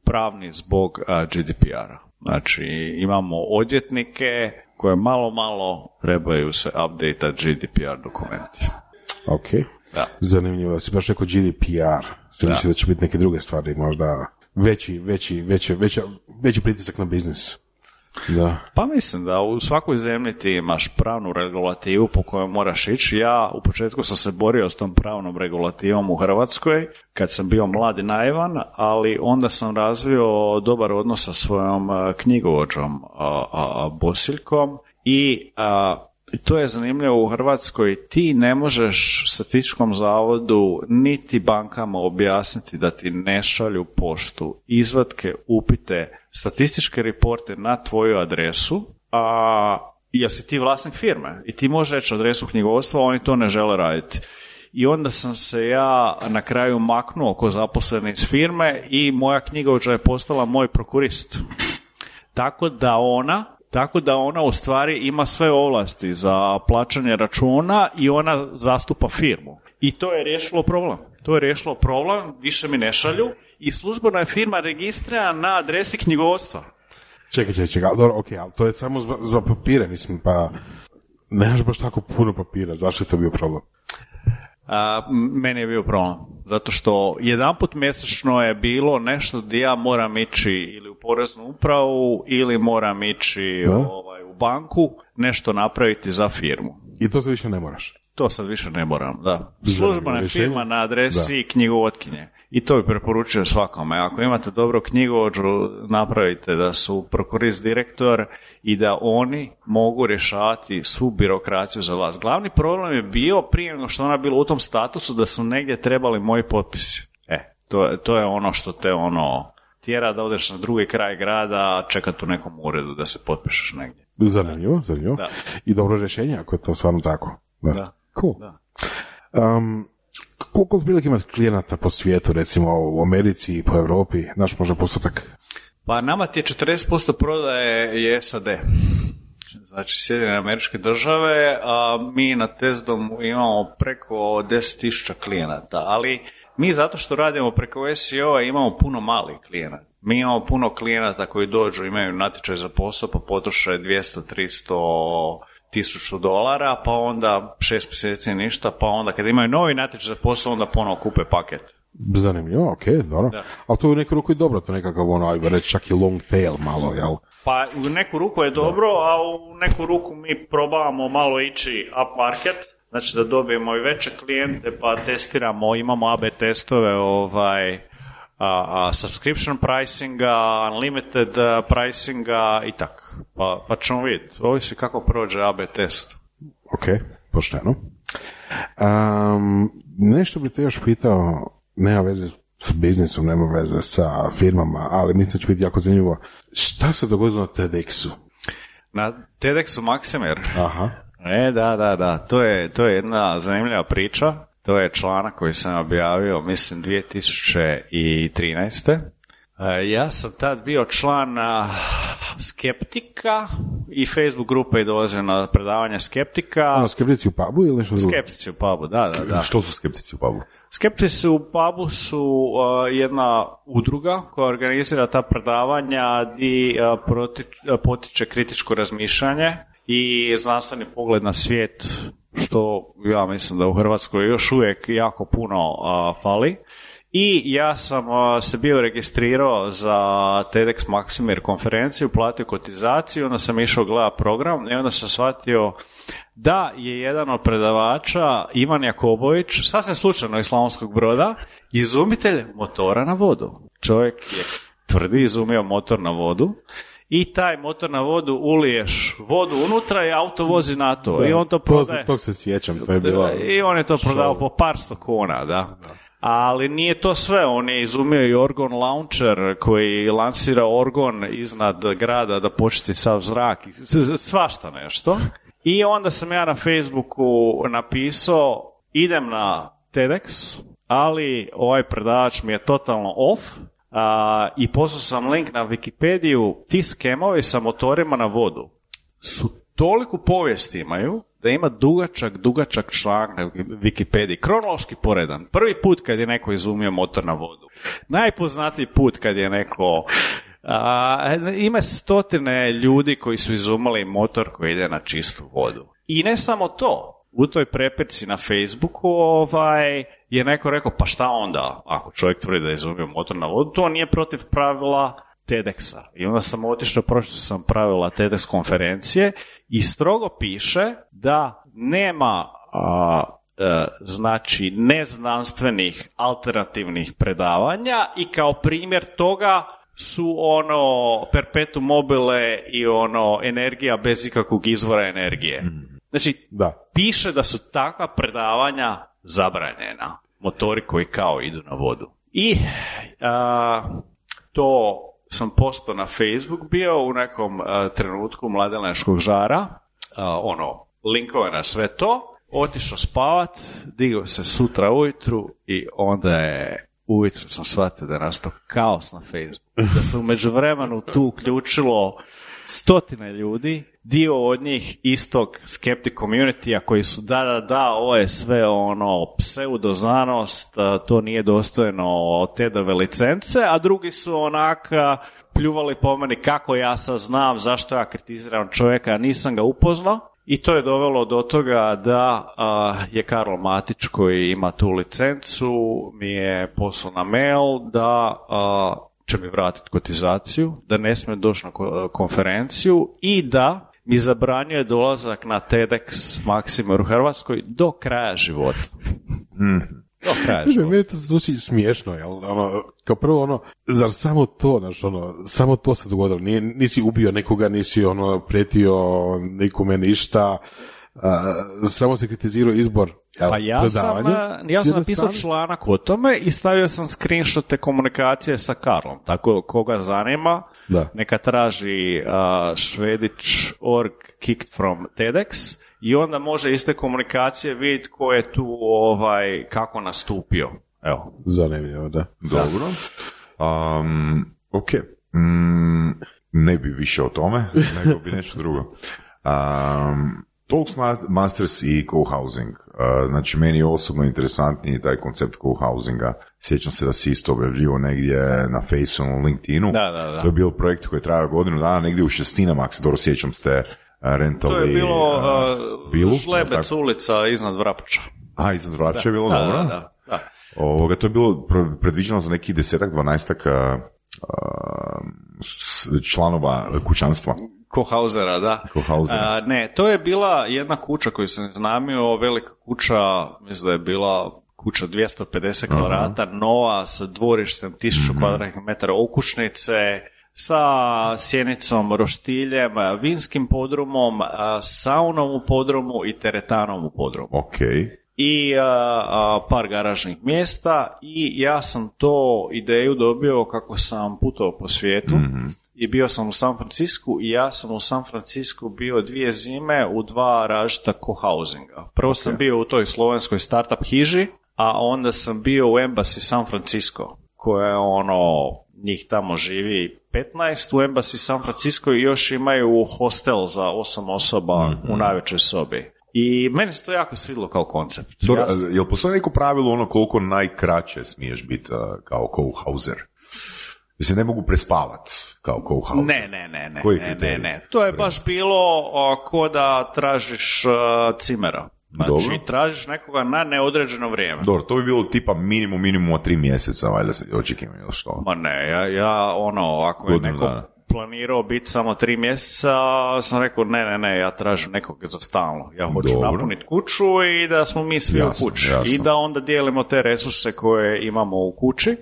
pravni zbog GDPR-a. Znači imamo odvjetnike koje malo trebaju se update GDPR dokumenti. Ok, zanimljivo da si baš rekao GDPR, mislim da će biti neke druge stvari, možda veći pritisak na biznis. Pa mislim da u svakoj zemlji ti imaš pravnu regulativu po kojoj moraš ići. Ja u početku sam se borio s tom pravnom regulativom u Hrvatskoj kad sam bio mlad i naivan, ali onda sam razvio dobar odnos sa svojom knjigovođom Bosiljkom i to je zanimljivo u Hrvatskoj. Ti ne možeš statističkom zavodu niti bankama objasniti da ti ne šalju poštu, izvatke, upite, statističke reporte na tvoju adresu, jer si ti vlasnik firme i ti možeš reći adresu knjigovodstva, oni to ne žele raditi. I onda sam se ja na kraju maknuo ko zaposleni iz firme i moja knjigovođa je postala moj prokurist. Tako da ona u stvari ima sve ovlasti za plaćanje računa i ona zastupa firmu. I to je riješilo problem. Više mi ne šalju i službeno je firma registrirana na adresi knjigovodstva. Čekaj, dobro, ok, ali to je samo za papire, mislim, pa nemaš baš tako puno papira, zašto je to bio problem? Meni je bio problem, zato što jedanput mjesečno je bilo nešto gdje ja moram ići ili u poreznu upravu ili moram ići u banku nešto napraviti za firmu. I to se više ne moraš? To sad više ne moram, da. Službena firma na adresi knjigovodkinje. I to bi preporučujem svakome. Ako imate dobro knjigovođu, napravite da su prokurist direktor i da oni mogu rješavati svu birokraciju za vas. Glavni problem je bio, prije nego što ona bila u tom statusu, da su negdje trebali moji potpisi. To je ono što te tjera da odeš na drugi kraj grada, čekati u nekom uredu da se potpišeš negdje. Zanimljivo. Da. I dobro rješenje ako je to stvarno tako. Da. Cool. Da. Koliko otprilike ima klijenata po svijetu, recimo u Americi i po Europi, naš možda postotak? Pa nama ti je 40% prodaje je SAD. Znači Sjedinjene Američke Države, a mi na Testdomu imamo preko 10,000 klijenata, ali mi zato što radimo preko SEO-a imamo puno malih klijenata. Mi imamo puno klijenata koji dođu, imaju natječaj za posao, pa potroše 200, 300, $1,000, pa onda 6 mjeseci ništa, pa onda kad imaju novi natječaj za posao, onda ponovo kupe paket. Zanimljivo, ok, dobro. Da. Ali to je u neku ruku i dobro, to nekakav ajde reći čak i long tail malo, jel? Pa u neku ruku je dobro, a u neku ruku mi probavamo malo ići up market, znači da dobijemo i veće klijente, pa testiramo, imamo AB testove, subscription pricinga, unlimited pricinga i tako. Pa ćemo vidjeti, ovisi kako prođe AB test. Ok, pošteno. Nešto bi te još pitao, nema veze s biznisom, nema veze sa firmama, ali mislim da će biti jako zanimljivo. Šta se dogodilo na TEDxu? Na TEDxu Maksimir? Aha. Da. To je jedna zanimljiva priča. To je članak koji sam objavio, mislim, 2013. Ja sam tad bio član Skeptika i Facebook grupe i dolazio na predavanje Skeptika. Skeptici u pubu ili nešto drugo? Skeptici u pubu, da. Što su skeptici u pubu? Skeptici u pubu su jedna udruga koja organizira ta predavanja gdje potiče kritičko razmišljanje i znanstveni pogled na svijet, što ja mislim da u Hrvatskoj još uvijek jako puno fali. I ja sam se bio registrirao za TEDx Maksimir konferenciju, platio kotizaciju, onda sam išao gledati program i onda sam shvatio da je jedan od predavača, Ivan Jakobović, sasvim slučajno iz Slavonskog Broda, izumitelj motora na vodu. Čovjek je tvrdi izumio motor na vodu i taj motor na vodu uliješ vodu unutra i auto vozi na to. Da, i on to prodaje. Tog se sjećam, to je bilo. I on je to prodao po par sto kuna, da. Ali nije to sve, on je izumio i Orgon Launcher koji lansira Orgon iznad grada da počisti sav zrak, svašta nešto. I onda sam ja na Facebooku napisao, idem na TEDx, ali ovaj predavač mi je totalno off, i poslao sam link na Wikipediju, ti skemovi sa motorima na vodu su toliko povijesti imaju, da ima dugačak članak na Wikipediji, kronološki poredan. Prvi put kad je neko izumio motor na vodu. Najpoznatiji put kad je neko... ima stotine ljudi koji su izumili motor koji ide na čistu vodu. I ne samo to. U toj prepirci na Facebooku je neko rekao, pa šta onda ako čovjek tvrdi da je izumio motor na vodu, to nije protiv pravila TEDxa. I onda sam otišao, prošao sam pravila TEDx konferencije i strogo piše da nema znači neznanstvenih alternativnih predavanja i kao primjer toga su perpetuum mobile i energija bez ikakvog izvora energije. Znači, piše da su takva predavanja zabranjena. Motori koji kao idu na vodu. I to sam postao na Facebook bio u nekom trenutku mladenačkog žara, linkove na sve to, otišao spavat, digao se sutra ujutru i onda je ujutru sam shvatio da je nastao kaos na Facebooku. Da se u međuvremenu tu uključilo stotine ljudi, dio od njih istog skeptic community-a koji su ovo je sve pseudoznanost, to nije dostojno TED-ove licence, a drugi su pljuvali po meni kako ja sad znam, zašto ja kritiziram čovjeka, nisam ga upoznao. I to je dovelo do toga da je Karlo Matić koji ima tu licencu mi je poslao na mail da će mi vratiti kotizaciju, da ne smije doći na konferenciju i da mi zabranjuje dolazak na TEDx Maksimir u Hrvatskoj do kraja života. Do kraja života. Meni to zvuči smiješno, jel? Kao prvo, zar samo to, samo to se dogodilo? Nisi ubio nekoga, nisi prijetio nikome ništa, samo se kritizirao izbor. Pa ja sam napisao članak o tome i stavio sam screenshot te komunikacije sa Karlom. Tako koga zanima, neka traži Švedić.org kicked from TEDx i onda može iz te komunikacije vidjeti ko je tu kako nastupio. Evo. Zanimljivo, da. Dobro. Ok. Ne bi više o tome, nego bi nešto drugo. Toastmasters i co-housing. Znači, meni je osobno interesantniji taj koncept co-housinga. Sjećam se da si isto objavljivo negdje na Faceu, na LinkedInu. Da. To je bio projekt koji je trajao godinu dana, negdje u Šestinama, ako se dobro sjećam, ste rentali... To je bilo Žlebec ulica iznad Vrapča. Iznad Vrapča je bilo, dobro? Da. To je bilo predviđeno za nekih 10-12 članova kućanstva. Kohausera, da. Ne, to je bila jedna kuća koju sam iznajmio, velika kuća, mislim da je bila kuća 250 kvadrata, nova, sa dvorištem 1000 kvadratnih metara okućnice, sa sjenicom, roštiljem, vinskim podrumom, saunom u podrumu i teretanom u podrumu. I par garažnih mjesta i ja sam to ideju dobio kako sam putovao po svijetu. I bio sam u San Francisku i ja sam u San Francisku bio 2 zime u 2 različita co-housinga. Prvo sam bio u toj slovenskoj startup hiži, a onda sam bio u Embassy San Francisco, koja je njih tamo živi 15 u Embassy San Francisco i još imaju hostel za 8 osoba u najvećoj sobi. I meni se to jako svidilo kao koncept. Dobro, jel postoji neko pravilo koliko najkraće smiješ biti kao co-houser? Mislim, ne mogu prespavat kao co-houser. Ne. To je baš bilo ko da tražiš cimera. Znači, tražiš nekoga na neodređeno vrijeme. Dobro, to bi bilo tipa minimum 3 mjeseca, valjda se očekivam ili što? Ma ne, ja ako je neko planirao biti samo 3 mjeseca, sam rekao ne, ja tražim nekog za stalno. Ja hoću napuniti kuću i da smo mi svi u kući. I da onda dijelimo te resurse koje imamo u kući.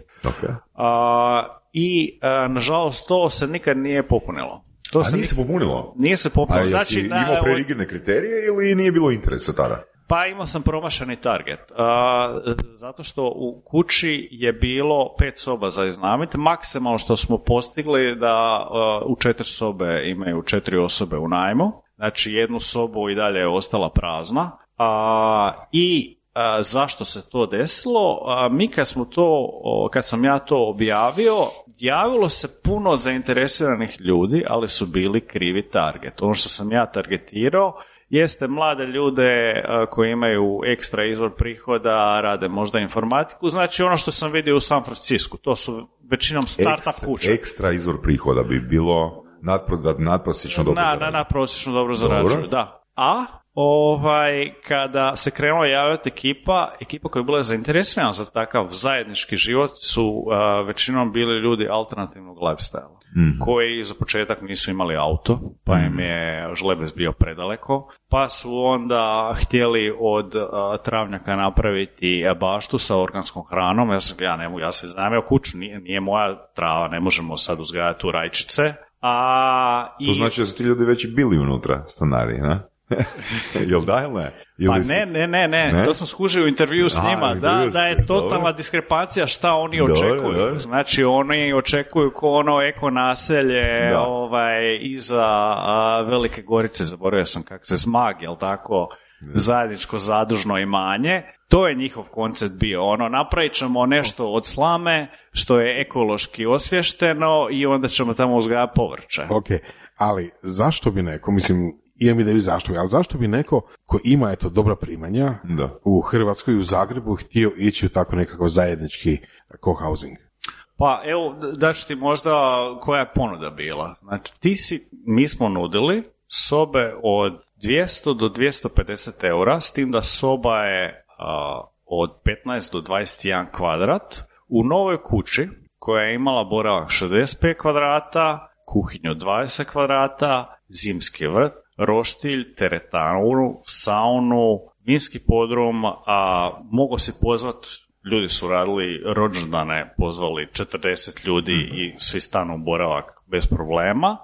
I nažalost to se nikad nije popunilo. Nije se popunilo? Nije se popunilo. Znači, imao prerigidne kriterije ili nije bilo interesa tada? Pa imao sam promašeni target. Zato što u kući je bilo 5 soba za iznajmiti. Maksimalno što smo postigli da u 4 sobe imaju 4 osobe u najmu. Znači jednu sobu i dalje je ostala prazna. Zašto se to desilo? Mi kad sam ja to objavio, javilo se puno zainteresiranih ljudi, ali su bili krivi target. Ono što sam ja targetirao jeste mlade ljude koji imaju ekstra izvor prihoda, rade možda informatiku, znači ono što sam vidio u San Francisku, to su većinom startup kuće. Ekstra izvor prihoda bi bilo nadprosječno dobro zarađuju. Nadprosječno dobro zarađuju, da. A kada se krenula javljati ekipa koja je bila zainteresirana za takav zajednički život su većinom bili ljudi alternativnog lifestyle, koji za početak nisu imali auto, pa im je Žlebec bio predaleko, pa su onda htjeli od travnjaka napraviti baštu sa organskom hranom. Ja se iznajmio kuću, nije moja trava, ne možemo sad uzgajati tu rajčice. To znači da su ti ljudi već bili unutra, stanari, ne? Jel da ili ne? Pa ne, to sam skužio u intervju s njima, da je totalna diskrepancija šta oni očekuju. Dobro. Znači oni očekuju ko eko naselje iza Velike Gorice, zaboravio sam kako se Zmag, jel tako, zajedničko zadužno imanje. To je njihov koncept bio, napravit ćemo nešto od slame što je ekološki osvješteno i onda ćemo tamo uzgajati povrće. Ok, ali zašto bi neko, imam ideju zašto, ali zašto bi neko ko ima dobra primanja u Hrvatskoj, u Zagrebu, htio ići u tako nekakav zajednički co-housing? Pa evo, daću ti možda koja je ponuda bila. Znači, mi smo nudili sobe od 200 do 250 eura, s tim da soba je od 15 do 21 kvadrat, u novoj kući koja je imala boravak 65 kvadrata, kuhinju 20 kvadrata, zimski vrt, roštilj, teretanu, saunu, vinski podrum, a mogo si pozvat, ljudi su radili rođendane, pozvali 40 ljudi i svi stanu u boravak bez problema,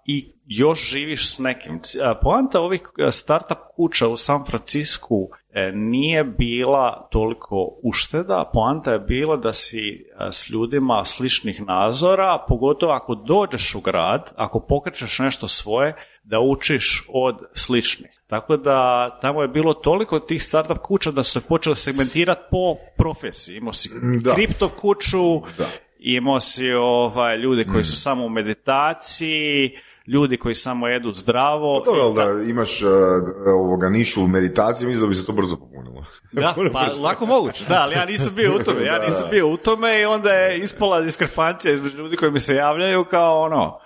i još živiš s nekim. Poanta ovih startup kuća u San Francisku nije bila toliko ušteda, poanta je bila da si s ljudima sličnih nazora, pogotovo ako dođeš u grad, ako pokrećeš nešto svoje, da učiš od sličnih. Tako da tamo je bilo toliko tih startup kuća da su se počeli segmentirati po profesiji. Imao si kripto kuću, imao si ljude koji su samo u meditaciji, ljudi koji samo jedu zdravo. Dobro, da imaš nišu u meditaciji, mislim da bi se to brzo popunilo. Da, pa lako moguće, da, ali ja nisam bio u tome i onda je ispala diskrepancija između ljudi koji mi se javljaju kao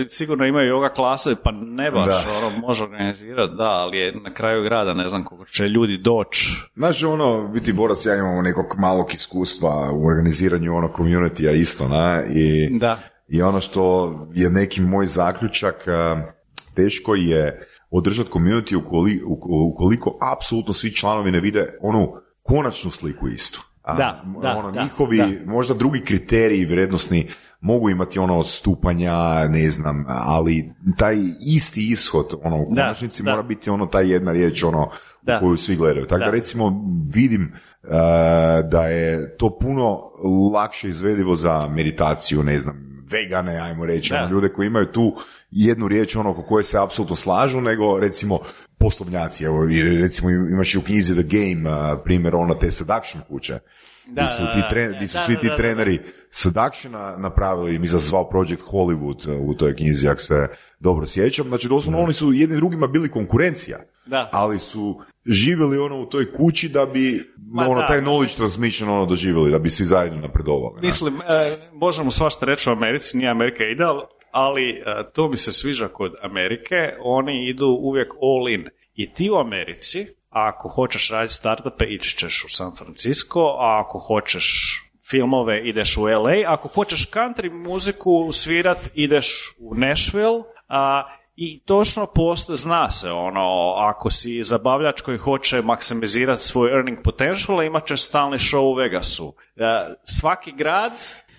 sigurno imaju yoga klasove, pa ne baš, može organizirati, ali je na kraju grada, ne znam koliko će ljudi doći. Znaš, biti Boras, ja imamo nekog malog iskustva u organiziranju community-a isto, I ono što je neki moj zaključak, teško je održati community ukoliko apsolutno svi članovi ne vide onu konačnu sliku istu. Njihovi možda drugi kriteriji vrijednosni mogu imati odstupanja, ne znam, ali taj isti ishod u konačnici mora biti taj jedna riječ u koju svi gledaju. Tako da recimo vidim da je to puno lakše izvedivo za meditaciju, ne znam, vegane, ajmo reći, ljude koji imaju tu jednu riječ oko koje se apsolutno slažu, nego recimo poslovnjaci. Evo, recimo imaš u knjizi The Game primjer te seduction kuće. Gdje su svi ti treneri seductiona napravili, mi zvao Project Hollywood u toj knjizi, ako se dobro sjećam. Znači, doslovno oni su jedni drugima bili konkurencija, ali su živjeli u toj kući da bi taj knowledge transmission doživjeli, da bi svi zajedno napredovali. Mislim, možemo svašta reći o Americi, nije Amerika ideal, ali to mi se sviđa kod Amerike, oni idu uvijek all in. I ti u Americi, ako hoćeš raditi startupe, ići ćeš u San Francisco, a ako hoćeš filmove, ideš u LA, ako hoćeš country muziku svirat, ideš u Nashville, i točno zna se, ako si zabavljač koji hoće maksimizirati svoj earning potential, imat ćeš stalni show u Vegasu. Svaki grad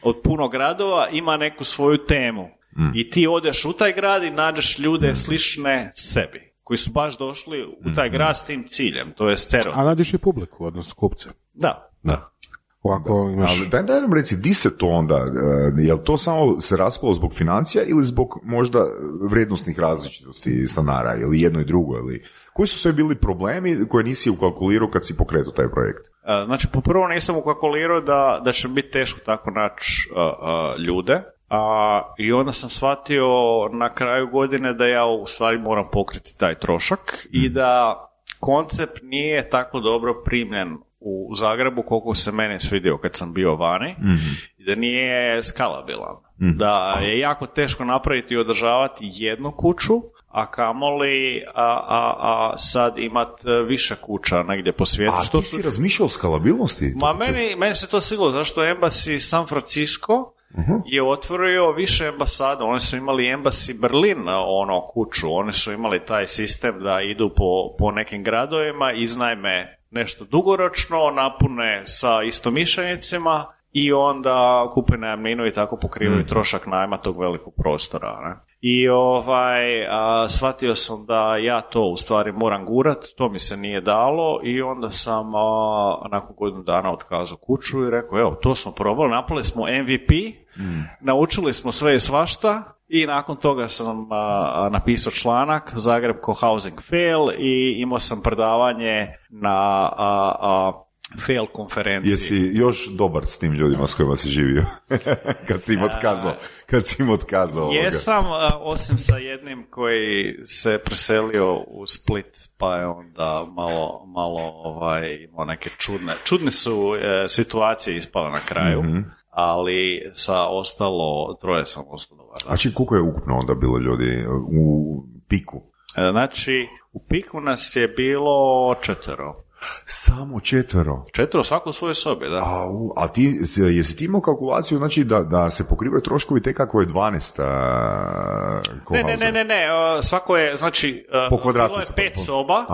od puno gradova ima neku svoju temu. I ti odeš u taj grad i nađeš ljude slične sebi, koji su baš došli u taj grad s tim ciljem, to je stereotip. A nađeš i publiku, odnosno kupce. Da. Ovako imaš... Ali daj nam reci, di se to onda, je li to samo se raspalo zbog financija ili zbog možda vrijednosnih različitosti stanara, ili jedno i drugo, ili koji su sve bili problemi koje nisi ukalkulirao kad si pokretao taj projekt? Znači, poprvo nisam ukalkulirao da će biti teško tako naći ljude, i onda sam shvatio na kraju godine da ja u stvari moram pokriti taj trošak i da koncept nije tako dobro primljen u Zagrebu koliko se meni svidio kad sam bio vani, i da nije skalabilan. Da je jako teško napraviti i održavati jednu kuću, a kamoli sad imat više kuća negdje po svijetu. A ti si razmišljao o skalabilnosti? Meni se to svidilo, zašto Embassy San Francisco je otvorio više ambasada. Oni su imali Embassy Berlin kuću, oni su imali taj sistem da idu po nekim gradovima, iznajme nešto dugoročno, napune sa istomišljenicima i onda kupe najamninu i tako pokrivaju trošak najma tog velikog prostora. Ne? I shvatio sam da ja to u stvari moram gurat, to mi se nije dalo i onda sam nakon godinu dana otkazao kuću i rekao, evo, to smo probali, napravili smo MVP, naučili smo sve i svašta i nakon toga sam napisao članak Zagreb ko housing fail i imao sam predavanje na fail konferenciji. Jesi još dobar s tim ljudima s kojima si živio? kad si im otkazao Jesam, osim sa jednim koji se preselio u Split, pa je onda malo imao neke čudne su situacije ispale na kraju, ali sa ostalo troje sam ostao dobar. A koliko je ukupno onda bilo ljudi u piku? Znači, u piku nas je bilo 4. Samo 4? 4 svako u svojoj sobi, da. A ti, jesi ti imao kalkulaciju, znači da se pokrivaju troškovi tek kako je 12 co-housing? Ne, svako je, znači, po kvadratu bilo je 5 soba,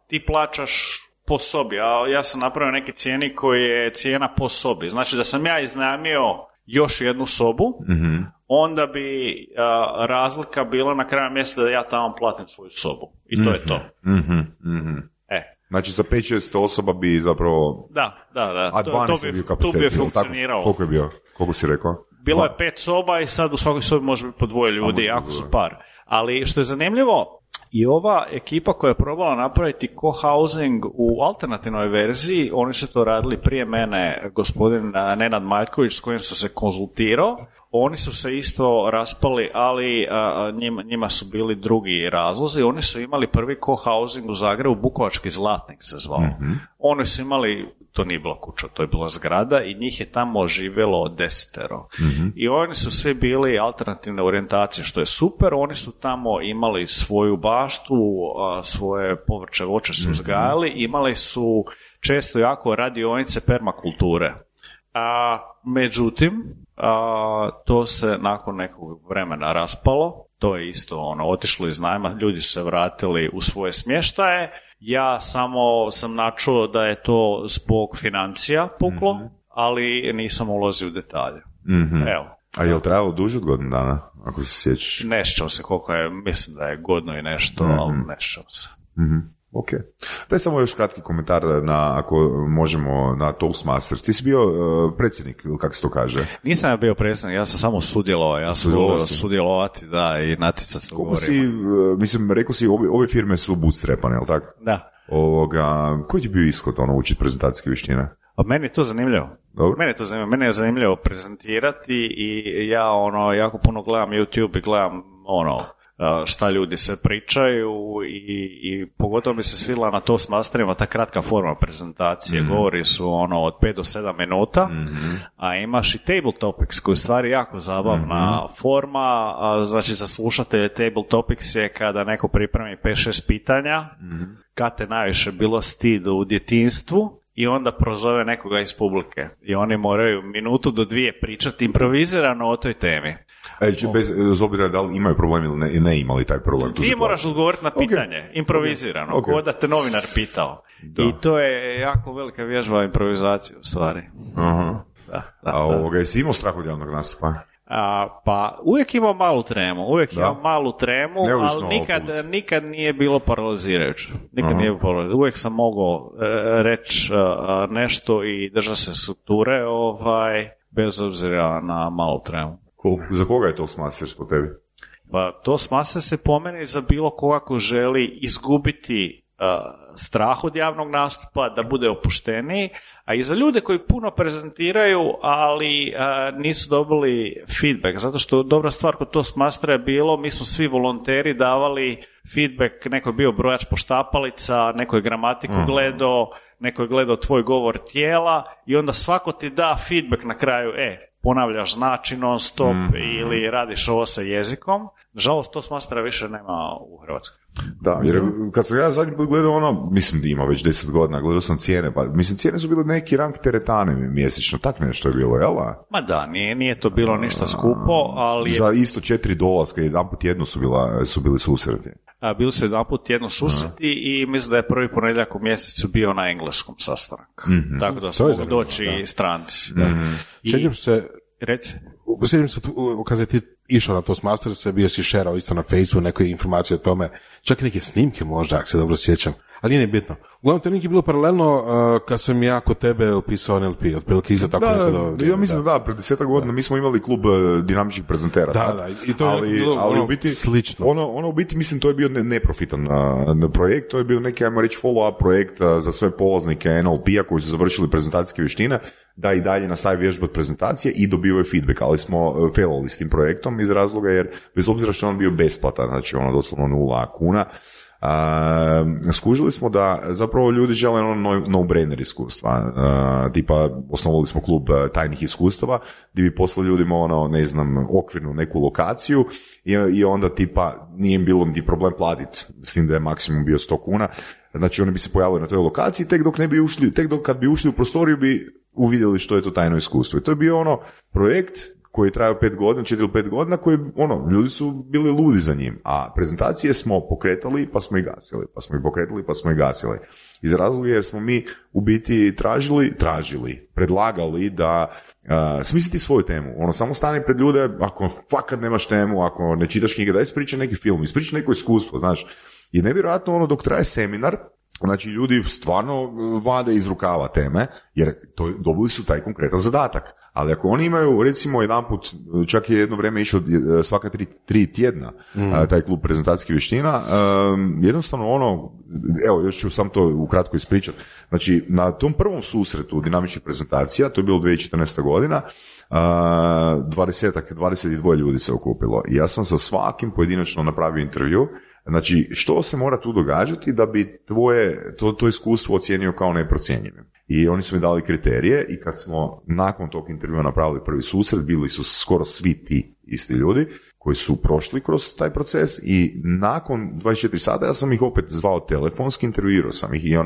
ti plaćaš po sobi, a ja sam napravio neke cijeni koji je cijena po sobi. Znači da sam ja iznajmio još jednu sobu, onda bi razlika bila na kraju mjeseca da ja tamo platim svoju sobu. I to je to. Znači za 5-6 osoba bi zapravo... Da. A 12 bi kapacitet. Tu bi funkcionirao. Koliko je bio? Koliko si rekao? Bilo je 5 soba i sad u svakoj sobi može biti po 2 ljudi, ako su par. Ali što je zanimljivo, i ova ekipa koja je probala napraviti co-housing u alternativnoj verziji, oni su to radili prije mene, gospodin Nenad Maljković s kojim sam se konzultirao, oni su se isto raspali, ali njima su bili drugi razlozi. Oni su imali prvi co-housing u Zagrebu, Bukovački Zlatnik se zvao. Oni su imali, to nije bila kuća, to je bila zgrada i njih je tamo živjelo 10. I oni su svi bili alternativne orijentacije, što je super. Oni su tamo imali svoju baštu, svoje povrće, voće su uzgajali, imali su često jako radionice permakulture. Međutim, to se nakon nekog vremena raspalo, to je isto otišlo iz najma, ljudi su se vratili u svoje smještaje, ja samo sam načuo da je to zbog financija puklo, ali nisam ulazio u detalje. Evo. A je li trajalo duže od godinu dana, ako se sjećaš? Ne sjećam se koliko je, mislim da je godinu i nešto, ali ne sjećam se. Ok. Daj samo još kratki komentar ako možemo na Toastmasters. Ti si bio predsjednik, ili kako se to kaže? Nisam ja bio predsjednik, ja sam samo sudjelovao. Ja sam sudjelovati, da, i natjecati se u govorima. Mislim, rekao si, ove firme su bootstrapane, je li tako? Da. Koji ti bio ishod učiti prezentacijske vještine? Meni je to zanimljivo. Dobro. Meni je zanimljivo prezentirati i ja jako puno gledam YouTube i gledam šta ljudi sve pričaju i pogotovo mi se svidjela na Toastmasterima ta kratka forma prezentacije. Govori su od 5 do 7 minuta, a imaš i table topics koji je stvari jako zabavna forma, znači za slušatelje table topics je kada neko pripremi 5-6 pitanja, kad te najviše bilo stid u djetinjstvu, i onda prozove nekoga iz publike. I oni moraju 1 do 2 pričati improvizirano o toj temi. Bez obzira da li imaju problem ili ne imali taj problem. Ti moraš odgovoriti na pitanje, improvizirano, kao da te novinar pitao. Da. I to je jako velika vježba improvizacije u stvari. Jesi imao strah od javnog nastupa? Pa uvijek imam malu tremu, ali nikad nije bilo paralizirajuće. Uvijek sam mogao reći nešto i držati se strukture, bez obzira na malu tremu. Cool. Za koga je Toastmasters po tebi? Pa Toastmasters se po meni za bilo koga ko želi izgubiti strah od javnog nastupa, da bude opušteniji, a i za ljude koji puno prezentiraju, ali nisu dobili feedback, zato što dobra stvar kod Toastmastera je bilo, mi smo svi volonteri davali feedback, neko je bio brojač poštapalica, neko je gramatiku gledao, neko je gledao tvoj govor tijela i onda svako ti da feedback na kraju, ponavljaš znači non stop ili radiš ovo sa jezikom. Nažalost, Toastmastera više nema u Hrvatskoj. Da, jer kad sam ja zadnji put gledao mislim da ima već 10 godina, gledao sam cijene, pa mislim cijene su bile neki rang teretane mjesečno, tak nešto je bilo, jel? Ma da, nije to bilo ništa skupo, ali... Za isto $4, jedan put jedno su bili susreti. Bili su jedan put jedno susreti i mislim da je prvi ponedjeljak u mjesecu bio na engleskom sastanak. Tako da su mogli doći stranci. Sjećam se... Reci. Sjećam se, kada si ti išao na Toastmasters, bio si šerao isto na Facebooku neke informacije o tome, čak i neke snimke možda, ako se dobro sjećam, ali nije bitno. Uglavnom, to nije bilo paralelno kad sam ja kod tebe upisao NLP, otprilike iza tako nekada. Ja mislim da, pred 10 godina mi smo imali klub dinamičnih prezentera. Da, i to je bilo u biti, slično. Ono u biti, mislim, to je bio neprofitan projekt, to je bio neki, ajmo reći, follow-up projekt za sve polaznike NLP-a koji su završili prezentacijske vještine, da i dalje nastavi vježbati prezentacije i dobivaju feedback, ali smo failali s tim projektom iz razloga jer, bez obzira što on bio besplatan, znači doslovno 0 kuna, skužili smo da zapravo zapravo ljudi žele no-brainer iskustva. Tipa, osnovali smo klub tajnih iskustava, gdje bi poslali ljudima okvirnu neku lokaciju i onda tipa nije im bilo niti problem platiti, s tim da je maksimum bio 100 kuna. Znači oni bi se pojavili na toj lokaciji, tek dok kad bi ušli u prostoriju bi uvidjeli što je to tajno iskustvo. I to je bio projekt koji je trajao 4 ili 5 godina, koji, ljudi su bili ludi za njim, a prezentacije smo pokretali pa smo ih gasili, pa smo ih pokretali pa smo ih gasili. Iz razloga jer smo mi u biti predlagali da smisliti svoju temu. Samo stani pred ljude, ako fakat nemaš temu, ako ne čitaš knjige, daj ispričaj neki film, ispričaj neko iskustvo, znaš. I nevjerojatno dok traje seminar, znači ljudi stvarno vade iz rukava teme, jer dobili su taj konkretan zadatak. Ali ako oni imaju, recimo, jedanput, čak je jedno vrijeme išao svaka 3 tjedna taj klub prezentacijskih vještina, jednostavno evo, još ću sam to ukratko ispričati. Znači, na tom prvom susretu dinamičnih prezentacija, to je bilo 2014. godina, 22 ljudi se okupilo. I ja sam sa svakim pojedinačno napravio intervju. Znači, što se mora tu događati da bi to iskustvo ocijenio kao neprocjenjivim? I oni su mi dali kriterije i kad smo nakon tog intervjua napravili prvi susret, bili su skoro svi ti isti ljudi koji su prošli kroz taj proces i nakon 24 sata ja sam ih opet zvao telefonski, intervjuirao sam ih i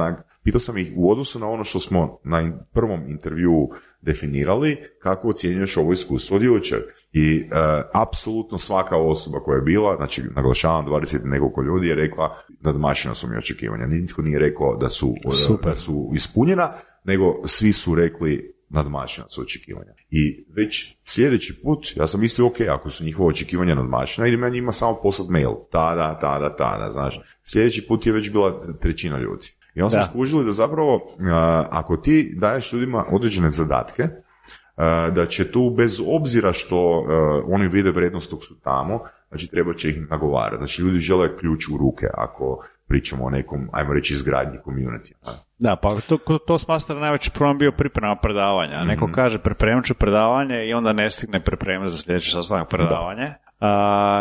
pitao sam ih u odnosu na ono što smo na prvom intervjuu definirali, kako ocjenjuješ ovo iskustvo od jučer. I apsolutno svaka osoba koja je bila, znači naglašavam 20 nekoliko ljudi je rekla nadmašena su mi očekivanja. Nitko nije rekao da su ispunjena, nego svi su rekli nadmašena su očekivanja. I već sljedeći put, ja sam mislio, ok, ako su njihova očekivanja nadmašena, idem ja njima samo poslati mail. Tada, znaš. Sljedeći put je već bila 1/3 ljudi. I onda smo skužili da zapravo, ako ti daješ ljudima određene zadatke, da će tu, bez obzira što oni vide vrijednost dok su tamo, znači treba će ih nagovarati. Znači ljudi žele ključ u ruke ako pričamo o nekom, ajmo reći, izgradnji community. Da, pa to smatra najveći problem bio priprema predavanja. Neko kaže pripremit ću predavanje i onda ne stigne pripremiti za sljedeći sastanak predavanje.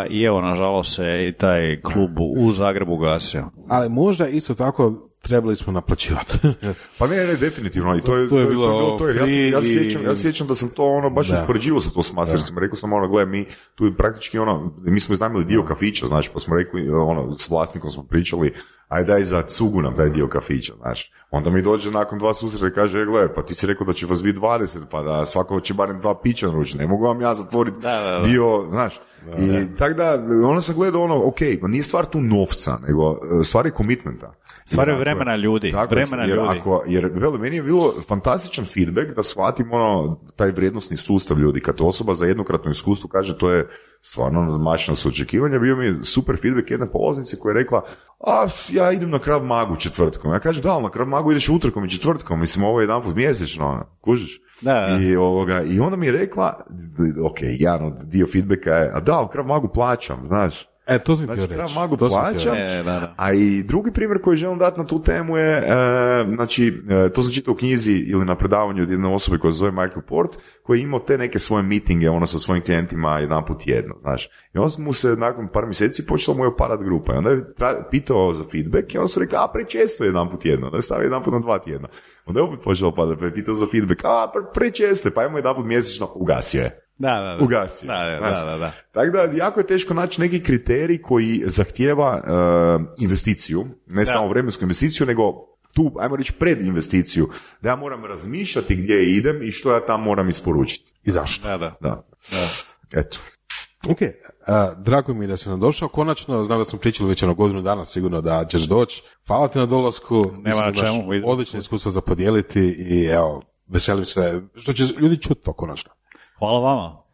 I evo, nažalost se i taj klub u Zagrebu gasio. Ali možda isto tako trebali smo naplaćivati. Pa ne, definitivno. I to je bilo to. Ja sjećam da sam to baš uspoređivao sa to s mastericima. Rekao sam gle, mi tu praktički mi smo iznajmili dio kafića, znači, pa smo rekli, s vlasnikom smo pričali, aj daj za cugu nam taj dio kafića, znaš. Onda mi dođe nakon 2 susreta i kaže, gle, pa ti si rekao da će vas biti 20, pa da svako će barem 2 pića naručiti, ne mogu vam ja zatvoriti dio, znaš. I tako da, sam gledao ok, pa nije stvar tu novca, nego stvar je komitmenta. Stvar je vremena ljudi. Jer meni je bilo fantastičan feedback da shvatim taj vrijednosni sustav ljudi. Kad osoba za jednokratno iskustvo kaže to je stvarno nadmašeno s očekivanja, bio mi je super feedback jedne polaznice koja je rekla, ja idem na Krav Magu četvrtkom. Ja kažem, da, na Krav Magu ideš utorkom i četvrtkom, mislim, ovo je jedanput mjesečno, kužiš? Da. I onda mi je rekla, ok, jedan od dio feedbacka je, da, Krav Magu plaćam, znaš. To sam htio reći. Krav Magu plaćam, a i drugi primjer koji želim dati na tu temu je, to sam čitao u knjizi ili na predavanju od jedne osobe koja se zove Michael Port, koji je imao te neke svoje mitinge, sa svojim klijentima jedanput tjedno, znaš. I onda mu se nakon par mjeseci počela mu je opadat grupa i onda je pitao za feedback i onda su rekli, prečesto jedanput tjedno, da je stavio jedanput na 2 tjedna. Onda je opet počela opadat, pa je pitao za feedback, prečesto, pa imamo jedanput mjesečno, ugasio je. Da. Ugasio. Da. Tako da, jako je teško naći neki kriterij koji zahtijeva investiciju, ne samo vremensku investiciju, nego tu, ajmo reći, pred investiciju, da ja moram razmišljati gdje idem i što ja tam moram isporučiti. I zašto? Da. Eto. Ok, drago mi je da si nam došao, konačno, znam da smo pričali već godinu dana, sigurno da ćeš doći. Hvala ti na dolasku, nema na čemu. Odlično iskustvo za podijeliti i evo, veselim se, što će ljudi čuti to konačno. Hvala vama.